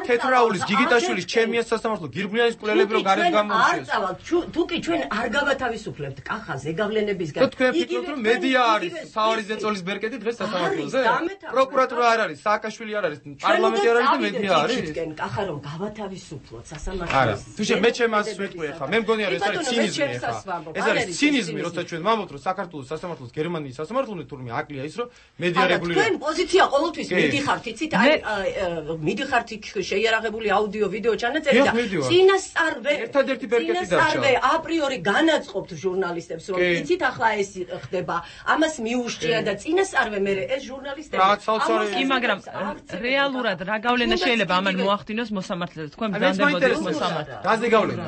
თეთრაულის, გიგიტაშვილის, ჩემიას სასამართლო, გირგულიანის კვლელები რო გარეთ გამოვიდეს. არ წავალთ, თუ კი ჩვენ არ გავათავისუფლებთ კახა ზეგავლენებისგან. თქვენ ფიქრობთ რომ მედია არის, საორის ზეწოლის ბერკეტი დღეს სასამართლოზე? პროკურატურა არ არის, სააკაშვილი არ არის, პარლამენტი არ არის და მედია არის. გენ კახა რომ გავათავისუფლოთ სასამართლოს. არა, თუ შე მე ჩემს ვიტყვი ხა, მე მგონია ეს არის ცინიზმი ხა. ეს არის ცინიზმი, როცა ჩვენ ვამბობთ რომ საქართველოს სასამართლოს გერმანიის სასამართლოზე თურმე აკლია ის რომ მედია რეგულირება. თქვენ პოზიცია ყოველთვის მიდიხართ, იცით, აი მიდიხართ იქ შეიარაღებული აუდიო ვიდეო ჩანაწერი და წინასწარვე ერთადერთი ბერკეტი დარჩა. აპრიორი განაწყობთ ჟურნალისტებს რომ იცით ახლა ეს ხდება, ამას მიუშჭია და წინასწარვე მე ეს ჟურნალისტები კი, მაგრამ რეალურად რა გავლენა შეიძლება ამან მოახდინოს მოსამართლეზე? თქვენ ბრძანდებოდეთ მოსამართლეს. რაზე გავლენა?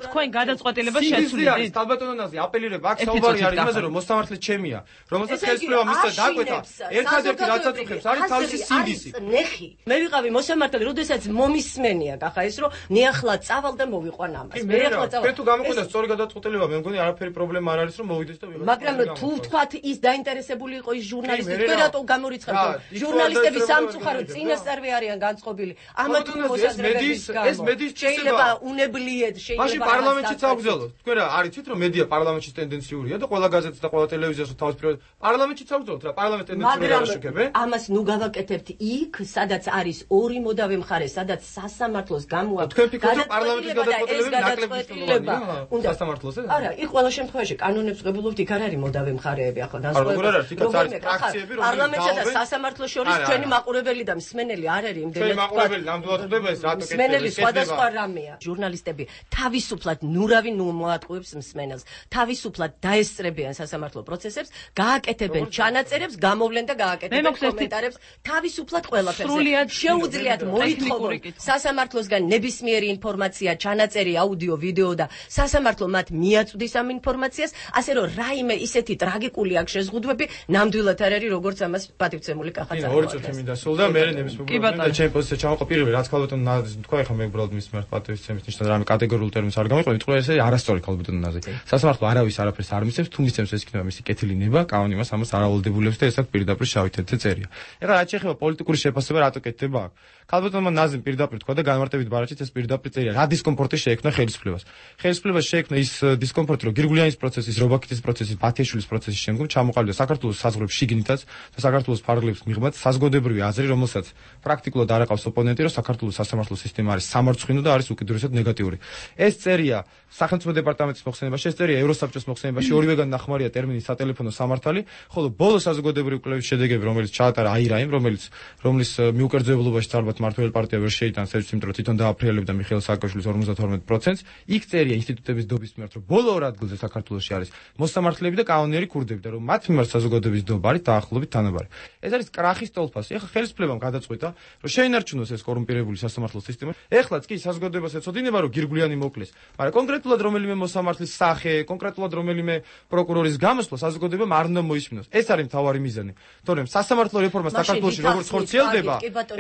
თქვენ გადაწყვეტილებას შეცვლით. ალბათონონაზი აპელირება, აქ საუბარი არის იმაზე, რომ მოსამართლე ჩემია, რომელსაც ხელისუფლება მისცა დაკვეთა. ერთადერთი რაც აწუხებს არის თავისი სინდისი. ნეხი. მე ვიყავი მოსამართლე, როდესაც მომისმენია კახა ეს რომ ნეახლა წავალ და მოვიყვან ამას. მე ახლა წავალ. თუ გამოყენდა სწორი გადაწყვეტილება, მე მგონი არაფერი პრობლემა არ არის რომ მოვიდეს და ვიღოს. მაგრამ თუ თქვათ ის დაინტერესებული იყო ის ჟურნალისტი, თქვენ რატო გამორიცხავთ? ჟურნალისტები სამწუხაროდ წინასწარვე არიან განწყობილი. ამათ მედიის ეს მედიის შეიძლება უნებლიეთ შეიძლება მაშინ პარლამენტშიც აღვძელოთ. თქვენ რა არიცით რომ მედია პარლამენტში ტენდენციურია და ყველა გაზეთს და ყველა ტელევიზიას თავის პირველ პარლამენტშიც აღვძელოთ რა პარლამენტ ტენდენციურად არ შეგებენ. ამას ნუ გავაკეთებთ იქ, სადაც არის ორი მოდავე მხარე, სადაც სასამართლოს გამოაქვს. თქვენ ფიქრობთ რომ პარლამენტის გადაწყვეტილებები ნაკლებია სასამართლოზე? არა, იქ ყველა შემთხვევაში კანონებს ღებულობთ, იქ არ არის მოდავე მხარეები ახლა განსხვავებული. პარლამენტსა და სასამართლოს შორის ჩვენი მაყურებელი და მსმენელი არ არის იმდენად. ჩვენი მაყურებელი ნამდვილად ხდება ეს რატო კეთდება? მსმენელი სხვადასხვა რამეა. ჟურნალისტები თავისუფლად ნურავი ნუ მოატყუებს მსმენელს. თავისუფლად დაესწრებიან სასამართლო პროცესებს, გააკეთებენ ჩანაწერებს, გამოვლენ და გააკეთებენ კომენტარებს, თავისუფლად ყველაფერზე. შეუძლიათ მოითხოვონ სასამართლოსგან ნებისმიერი ინფორმაცია, ჩანაწერი, აუდიო, ვიდეო და სასამართლო მათ მიაწვდის ამ ინფორმაციას, ასე რომ რაიმე ისეთი ტრაგიკული აქ შეზღუდვები ნამდვილად არ არის, როგორც ამას პატივცემული კახა წარმოადგენს. ორი წუთი მინდა სულ და მე ნებისმიერ და ჩემ პოზიციაზე ჩავყო პირველი რაც ქალბატონ ნაზი თქვა ეხლა მე უბრალოდ მის მიმართ პატივისცემის ნიშნად რამე კატეგორიულ ტერმინს არ გამიყვები, თქვა ესე არასწორი ქალბატონ ნაზი. სასამართლო არავის არაფერს არ მისცემს, თუ მისცემს ეს იქნება მისი კეთილი ნება, კანონი მას ამას არავალდებულებს და ესაც პირდაპირ შავი თეთრზე წერია. ეხლა რაც შეეხება პოლიტიკური შეფასება რატო კეთდება აქ? ქალბატონმა ნაზიმ პირდაპირ თქვა და განმარტებით ბარათშიც ეს პირდაპირ წერია. რა დისკომფორტი შეექმნა ხელისუფლებას. ხელისუფლებას შეექმნა ის დისკომფორტი, რომ გირგულიანის პროცესის, რობაქითის პროცესის, ბათიაშვილის პროცესის შემდგომ ჩამოყალიბდა საქართველოს საზღვრებს შიგნითაც და საქართველოს ფარგლებს მიღმაც საზოგადოებრივი აზრი, რომელსაც პრაქტიკულად არ აყავს ოპონენტი, რომ საქართველოს სასამართლო სისტემა არის სამარცხვინო და არის უკიდურესად ნეგატიური. ეს წერია სახელმწიფო დეპარტამენტის მოხსენებაში, ეს წერია ევროსაბჭოს მოხსენებაში, ორივეგან ნახმარია ტერმინი სატელეფონო სამართალი, ხოლო ბოლო საზოგადოებრივი კვლევის შედეგები, რომელიც ჩაატარა აირაიმ, რომელიც რომლის მიუკერძებლობაში ალბათ მართველი პარტია ვერ შეიტანს ეს, იმიტომ რომ თვითონ დააფრიალებდა მიხეილ სააკაშვილის ორმოცდათორმეტ პროცენტს, იქ წერია ინსტიტუტების დობის მიმართ, რომ ბოლო ორ ადგილზე საქართველოში არის მოსამართლეები და კანონიერი ქურდები და რომ მათ მიმართ საზოგადოების დობა არის დაახლოებით თანაბარი. ეს არის კრახის ტოლფასი. ეხლა ხელისუფლებამ გადაწყვიტა, რომ შეინარჩუნოს ეს კორუმპირებული სასამართლო სისტემა. ეხლაც კი საზოგადოებას ეცოდინება, რომ გირგულიანი მოკლეს, მაგრამ კონკრეტულად რომელიმე მოსამართლის სახე, კონკრეტულად რომელიმე პროკურორის გამოსვლა საზოგადოებამ არ უნდა მოისმინოს. ეს არის მთავარი მიზანი. თორემ სასამართლო რეფორმა საქართველოში როგორც ხორციელდება,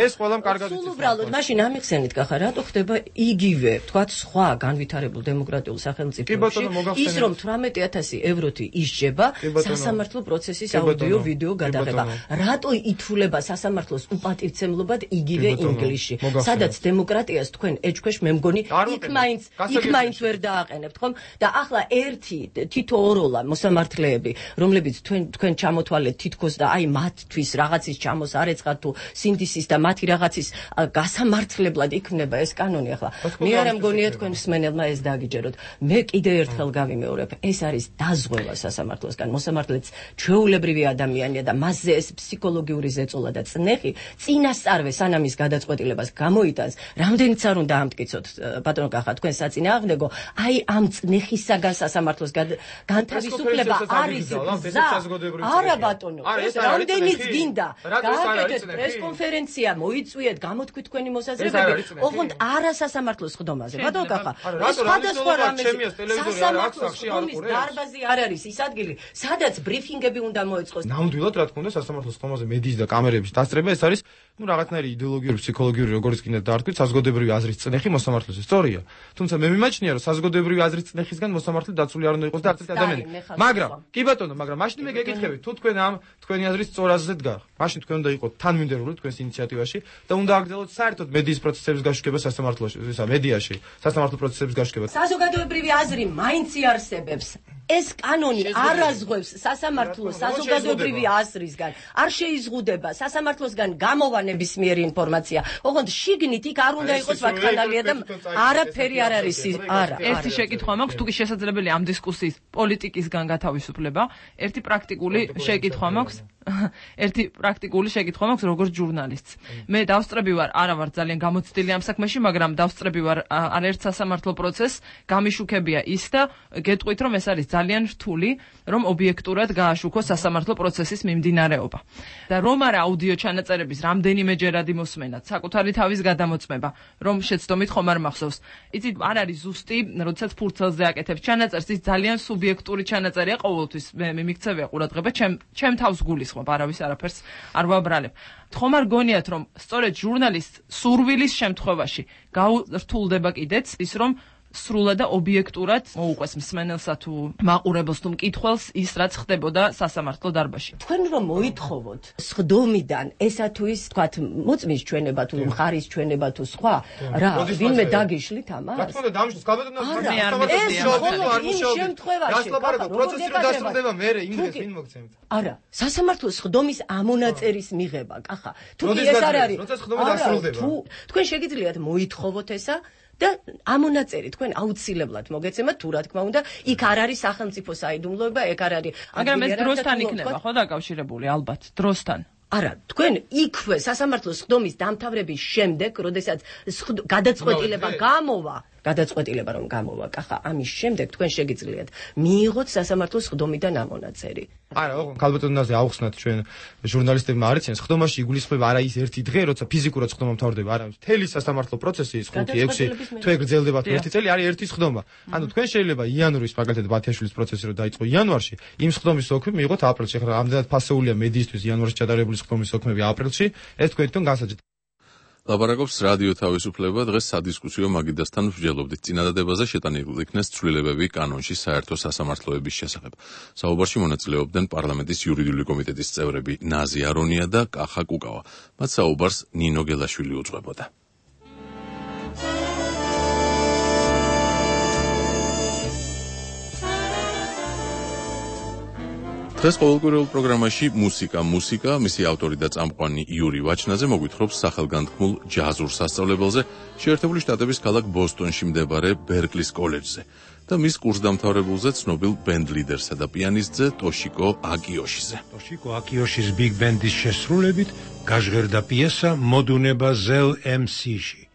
ეს ყველამ კარგად იცის. სულ უბრალოდ მაშინ ამიხსენით გახარ, რატო ხდება იგივე, თქვათ, სხვა განვითარებულ დემოკრატიულ სახელმწიფოებში ის რომ თვრამეტი ათასი ევროთი ისჯება სასამართლო პროცესის აუდიო ვიდეო გადაღება. რატო ითვლება სასამართლოს უპატივცემლობად იგივე ინგლისში, სადაც დემოკრატიას თქვენ ეჭქვეშ მე მგონი იქ მაინც იქ მაინც ვერ დააყენებთ, ხომ? და ახლა ერთი თითო ოროლა მოსამართლეები, რომლებიც თქვენ თქვენ ჩამოთვალეთ თითქოს და აი მათთვის რაღაცის ჩამოს არ ეცხათ თუ სინდისის და მათი რაღაცის გასამართლებლად იქნება ეს კანონი. ახლა მე არ მგონია თქვენ მსმენელმა ეს დაგიჯეროთ. მე კიდე ერთხელ გავიმეორებ, ეს არის დაზღვევა სასამართლოსგან. მოსამართლეც ჩვეულებრივი ადამიანია და მასზე ეს ფსიქოლოგიური ზეწოლა და წნეხი წინასწარვე სანამ ის გადაწყვეტილებას გამოიტანს, რამდენიც არ უნდა ამტკიცოთ ბატონო კახა თქვენ საწინააღმდეგო, აი ამ წნეხისაგან სასამართლოს განთავისუფლება არის გზა. არა ბატონო, ეს რამდენიც გინდა. გააკეთეთ პრესკონფერენცია, მოიწვიეთ, გამოთქვით თქვენი მოსაზრებები, ოღონდ არა სასამართლოს ხდომაზე. ბატონო კახა, ეს სხვადასხვა რამე სასამართლოს ხდომის დარბაზი არ არის ის ადგილი, სადაც ბრიფინგები უნდა მოეწყოს. ნამდვილად რა თქმა უნდა სასამართლოს ხდომაზე მედიის და კამერების დასწრება ეს არის ну რაღაცნაირი იდეოლოგიური, ფსიქოლოგიური, როგორც კიდე დაარქვით, საზოგადოებრივი აზრის წნეხი მოსამართლეზე. სწორია. თუმცა მე მიმაჩნია, რომ საზოგადოებრივი აზრის წნეხისგან მოსამართლე დაცული არ უნდა იყოს და არც ერთი ადამიანი. მაგრამ, კი ბატონო, მაგრამ მაშინ მე გეკითხებით, თუ თქვენ ამ თქვენი აზრის სწორ აზრზე დგარ, მაშინ თქვენ უნდა იყოთ თანმიმდევრული თქვენს ინიციატივაში და უნდა აგრძელოთ საერთოდ მედიის პროცესების გაშუქება სასამართლოში, ისა მედიაში, სასამართლო პროცესების გაშუქება. საზოგადოებრივი აზრი მაინც იარსებებს. ეს კანონი არ აზღვევს სასამართლოს საზოგადოებრივი აზრისგან, არ შეიზღუდება სასამართლოსგან გამოვა ნებისმიერი ინფორმაცია. ოღონდ შიგნით იქ არ უნდა იყოს ვაკხალალია და არაფერი არ არის არა. ერთი შეკითხვა მაქვს, თუ კი შესაძლებელია ამ დისკუსიის პოლიტიკისგან გათავისუფლება, ერთი პრაქტიკული შეკითხვა მაქვს. ერთი პრაქტიკული შეკითხვა მაქვს როგორც ჟურნალისტს. მე დავსწრები ვარ, არა ვარ ძალიან გამოცდილი ამ საქმეში, მაგრამ დავსწრები ვარ არაერთ სასამართლო პროცესს, გამიშუქებია ის და გეტყვით რომ ეს არის ძალიან რთული, რომ ობიექტურად გააშუქოს სასამართლო პროცესის მიმდინარეობა. და რომ არა აუდიო ჩანაწერების რამდენიმეჯერადი მოსმენა, საკუთარი თავის გადამოწმება, რომ შეცდომით ხომ არ მახსოვს. იცით, არ არის ზუსტი, როდესაც ფურცელზე აკეთებ ჩანაწერს, ის ძალიან სუბიექტური ჩანაწერია ყოველთვის. მე მიმიქცევია ყურადღება, ჩემ ჩემ თავს გულისხმობ, არავის არაფერს არ ვაბრალებ. ხომ არ გონიათ, რომ სწორედ ჟურნალისტ სურვილის შემთხვევაში გაურთულდება კიდეც ის, რომ სრულად და ობიექტურად მოუყვეს მსმენელსა თუ მაყურებელს თუ მკითხველს ის რაც ხდებოდა სასამართლო დარბაზში. თქვენ რომ მოითხოვოთ სხდომიდან ესა თუ ის თქვათ მოწმის ჩვენება თუ მხარის ჩვენება თუ სხვა რა ვინმე დაგიშლით ამას? რა თქმა უნდა დამშოს გაბედონას მე არ მეცდია. ეს მხოლოდ იმ შემთხვევაში გასლაპარაკო პროცესი რომ დასრულდება მე იმდეს ვინ მოგცემთ. არა, სასამართლოს სხდომის ამონაწერის მიღება, კახა. თუ ეს არ არის. როცა სხდომა დასრულდება. თუ თქვენ შეგიძლიათ მოითხოვოთ ესა და ამონაწერი თქვენ აუცილებლად მოგეცემათ თუ რა თქმა უნდა იქ არ არის სახელმწიფო საიდუმლოება, ეგ არ არის. მაგრამ ეს დროსთან იქნება ხო დაკავშირებული ალბათ დროსთან. არა, თქვენ იქვე სასამართლოს სხდომის დამთავრების შემდეგ, როდესაც გადაწყვეტილება გამოვა, გადაწყვეტილება რომ გამოვა, კახა, ამის შემდეგ თქვენ შეგიძლიათ მიიღოთ სასამართლოს სხდომიდან ამონაწერი. არა, ოღონდ ქალბატონაზე აუხსნათ ჩვენ ჟურნალისტებმა არ იციან, სხდომაში იგულისხმება არა ის ერთი დღე, როცა ფიზიკურად სხდომა მთავრდება, არა, მთელი სასამართლო პროცესი ის ხუთი ექვსი თვე გრძელდება თუ ერთი წელი არის ერთი სხდომა. ანუ თქვენ შეიძლება იანვრის მაგალითად ბათიაშვილის პროცესი რომ დაიწყო იანვარში, იმ სხდომის ოქმი მიიღოთ აპრილში. ახლა ამდენად ფასეულია მედიისთვის იანვარში ჩატარებული სხდომის ოქმები აპრილში, ეს თქვენ თვითონ განსაჯეთ. ლაპარაკობს რადიო თავისუფლება, დღეს სადისკუსიო მაგიდასთან მსჯელობდით. წინადადებაზე შეტანილი იქნეს ცვლილებები კანონში საერთო სასამართლოების შესახებ. საუბარში მონაწილეობდნენ პარლამენტის იურიდიული კომიტეტის წევრები ნაზი არონია და კახა კუკავა. მათ საუბარს ნინო გელაშვილი უძღვებოდა. დღეს ყოველკვირეულ პროგრამაში მუსიკა, მუსიკა, მისი ავტორი და წამყვანი იური ვაჩნაძე მოგვითხრობს სახელგანთქმულ ჯაზურ სასწავლებელზე შეერთებული შტატების ქალაქ ბოსტონში მდებარე ბერკლის კოლეჯზე და მის კურსდამთავრებულზე ცნობილ ბენდ ლიდერსა და პიანისტზე ტოშიკო აკიოშიზე. ტოშიკო აკიოშის ბიგ ბენდის შესრულებით გაჟღერდა პიესა მოდუნება ზელ ემ სი-ში.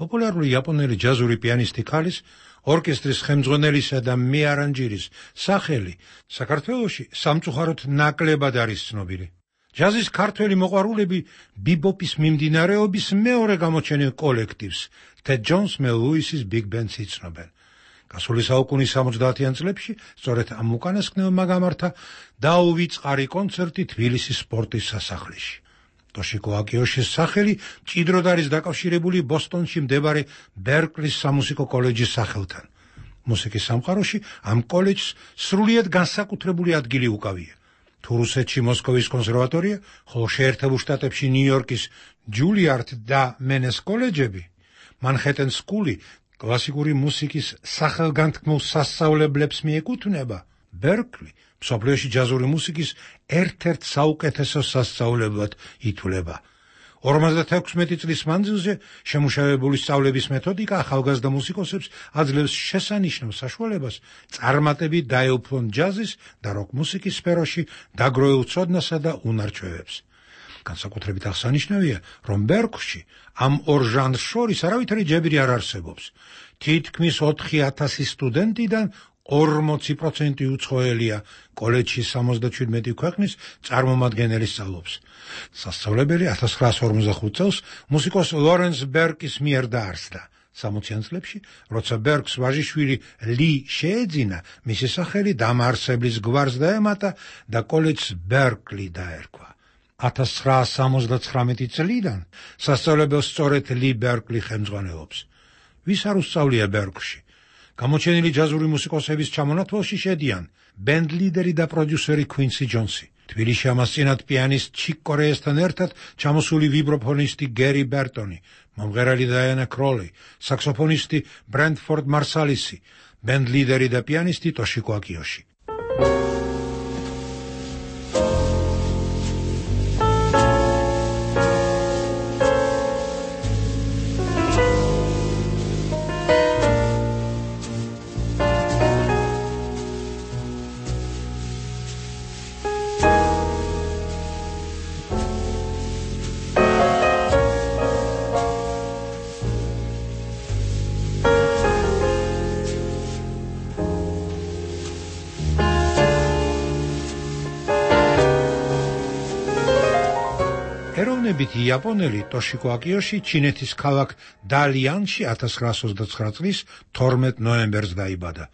პოპულარული იაპონელი ჯაზური პიანისტი ქალის ორკესტრის ხელმძღვანელისა და მეარანჟირის სახელი საქართველოში სამწუხაროდ ნაკლებად არის ცნობილი. ჯაზის ქართველი მოყვარულები ბიბოპის მიმდინარეობის მეორე გამოჩენილ კოლექტივს ტედ ჯონს მელ ლუისის ბიგ ბენდს იცნობენ. გასული საუკუნის სამოცდაათიან წლებში სწორედ ამ უკანასკნელმა გამართა დაუვიწყარი კონცერტი თბილისის სპორტის სასახლეში. ტოშიკო აკიოშის სახელი მჭიდროდ არის დაკავშირებული ბოსტონში მდებარე ბერკლის სამუსიკო კოლეჯის სახელთან. მუსიკის სამყაროში ამ კოლეჯს სრულიად განსაკუთრებული ადგილი უკავია. თუ რუსეთში მოსკოვის კონსერვატორია, ხოლო შეერთებულ შტატებში ნიუ-იორკის ჯულიარდ და მენეს კოლეჯები, მანჰეტენ სკული კლასიკური მუსიკის სახელგანთქმულ სასწავლებლებს მიეკუთვნება, ბერკლი მსოფლიოში ჯაზური მუსიკის ერთ-ერთ საუკეთესო სასწავლებლად ითვლება. ორმოცდათექვსმეტი წლის მანძილზე შემუშავებული სწავლების მეთოდიკა ახალგაზრდა მუსიკოსებს აძლევს შესანიშნავ საშუალებას წარმატებით დაეუფლონ ჯაზის და როკ მუსიკის სფეროში დაგროვილ ცოდნასა და უნარჩვევებს. განსაკუთრებით აღსანიშნავია, რომ ბერკლში ამ ორ ჟანრს შორის არავითარი ჯებირი არ არსებობს. თითქმის ოთხი ათასი სტუდენტიდან ორმოცი პროცენტი უცხოელია კოლეჯში სამოცდაშვიდმეტი ქვეყნის წარმომადგენელი სწავლობს. სასწავლებელი ათას ცხრაასი ორმოცდახუთ წელს მუსიკოს ლორენს ბერკის მიერ დაარსდა. სამოციან წლებში, როცა ბერკს ვაჟიშვილი ლი შეეძინა, მისი სახელი დამაარსებლის გვარს დაემატა და კოლეჯს ბერკლი დაერქვა. ათას ცხრაასი სამოცდაცხრამეტი წლიდან სასწავლებელს სწორედ ლი ბერკლი ხელმძღვანელობს. ვის არ უსწავლია ბერკლში? გამოჩენილი ჯაზური მუსიკოსების ჩამონათვალში შედიან ბენდ ლიდერი და პროდიუსერი κουინსი ჯონსი, თბილისში ამასწინათ პიანისტ ჩიკ კორეასთან ერთად ჩამოსული ვიბროფონისტი გერი ბერტონი, მომღერალი დაიანა კროლი, საქსოფონისტი ბრენდფორდ მარსალისი, ბენდ ლიდერი და პიანისტი ტოშიკო აკიოში. ეროვნებით იაპონელი ტოშიკო აკიოში ჩინეთის ქალაქ დალიანში ათას ცხრაასი ოცდაცხრა წლის თორმეტ ნოემბერს დაიბადა.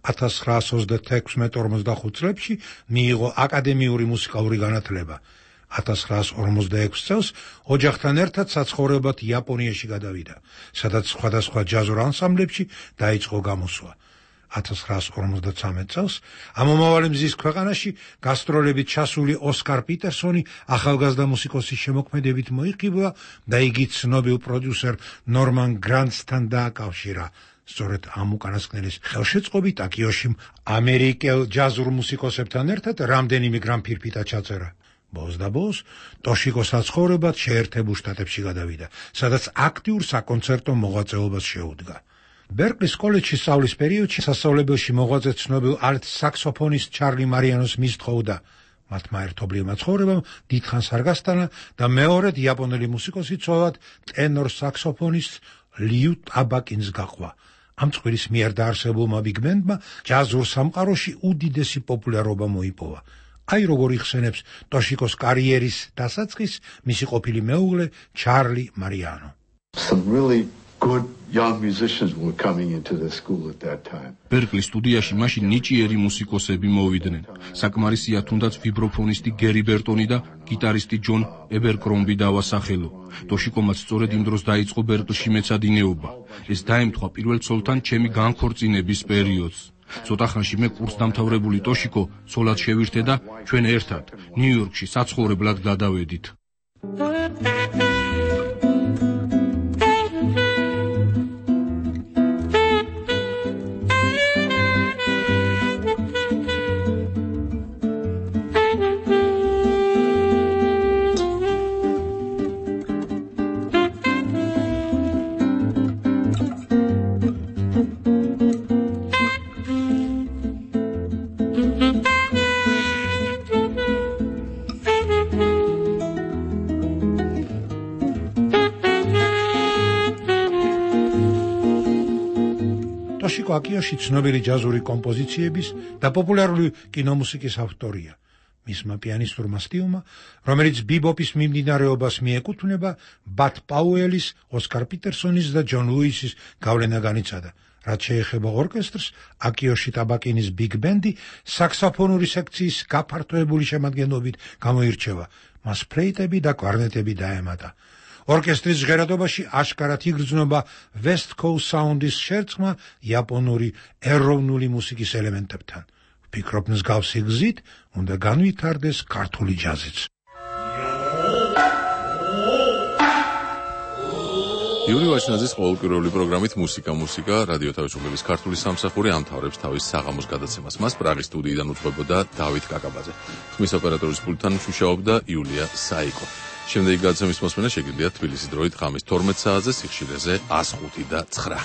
ათას ცხრაასი ოცდათექვსმეტ ორმოცდახუთ წლებში მიიღო აკადემიური მუსიკალური განათლება. ათას ცხრაასი ორმოცდაექვსი წელს ოჯახთან ერთად საცხოვრებლად იაპონიაში გადავიდა, სადაც სხვადასხვა ჯაზურ ანსამბლებში დაიწყო გამოსვლა. ათას ცხრაასი ორმოცდაცამეტ წელს ამომავალი მზის ქვეყანაში გასტროლებით ჩასული ოსკარ პიტერსონი ახალგაზრდა მუსიკოსის შემოქმედებით მოიხიბლა და იგი ცნობილ პროდიუსერ ნორმან გრანტსთან დააკავშირა. სწორედ ამ უკანასკნელის ხელშეწყობით აკიოშიმ ამერიკელ ჯაზურ მუსიკოსებთან ერთად რამდენიმე გრამფირფიტა ჩაწერა. ბოლოს და ბოლოს ტოშიკოს საცხოვრებლად შეერთებულ შტატებში გადავიდა, სადაც აქტიურ საკონცერტო მოღვაწეობას შეუდგა. ბერკლის კოლეჯში სწავლის პერიოდში სასწავლებელში მოღვაწე ცნობილ ალტ საქსოფონისტ ჩარლი მარიანოს მისთხოვდა. მათმა ერთობლივმა ცხოვრებამ დიდხანს არ გასტანა და მეორედ იაპონელი მუსიკოსი ცოლად ტენორ საქსოფონისტ ლიუ ტაბაკინს გაყვა. ამ წყვილის მიერ დაარსებულმა ბიგ ბენდმა ჯაზურ სამყაროში უდიდესი პოპულარობა მოიპოვა. აი როგორ იხსენებს ტოშიკოს კარიერის დასაწყისს მისი ყოფილი მეუღლე ჩარლი მარიანო. Some really good young musicians were coming into the school at that time. Berkeley სტუდიაში მაშინ ნიჭიერი მუსიკოსები მოვიდნენ. საკმარისია თუნდაც ვიბროფონისტი გერი ბერტონი და გიტარისტი ჯონ ებერკრომბი დავასახელო. ტოშიკომაც სწორედ იმ დროს დაიწყო ბერკლში მეცადინეობა. ეს დაემთხვა პირველ ცოლთან ჩემი განქორწინების პერიოდს. ცოტა ხანში მე კურსს დამთავრებული ტოშიკო ცოლად შევირთე და ჩვენ ერთად ნიუ-იორკში საცხოვრებლად გადავედით. ტოშიკო აკიოში ცნობილი ჯაზური კომპოზიციების და პოპულარული კინომუსიკის ავტორია. მისმა პიანისტურმა სტილმა, რომელიც ბიბოპის მიმდინარეობას მიეკუთვნება, ბათ პაუელის, ოსკარ პიტერსონის და ჯონ ლუისის გავლენა განიცადა. რაც შეეხება ორკესტრს, აკიოში ტაბაკინის ბიგ ბენდი საქსოფონური სექციის გაფართოებული შემადგენლობით გამოირჩევა. მას ფლეიტები და კვარნეტები დაემატა. ორკესტრის ჟღერადობაში აშკარად იგრძნობა West Coast Sound-ის შერწყმა იაპონური ეროვნული მუსიკის ელემენტებთან. ვფიქრობ, მსგავსი გზით უნდა განვითარდეს ქართული ჯაზიც. იური ვაჩნაძის ყოველკვირეული პროგრამით მუსიკა მუსიკა რადიო თავისუფლების ქართული სამსახური ამთავრებს თავის საღამოს გადაცემას. მას პრაღის სტუდიიდან უძღვებოდა დავით კაკაბაძე. ხმის ოპერატორის პულტთან მუშაობდა იულია საიკო. შემდეგი გადაცემის მოსმენა შეგიძლიათ თბილისის დროით ღამის თორმეტ საათზე სიხშირეზე ას ხუთი და ცხრა.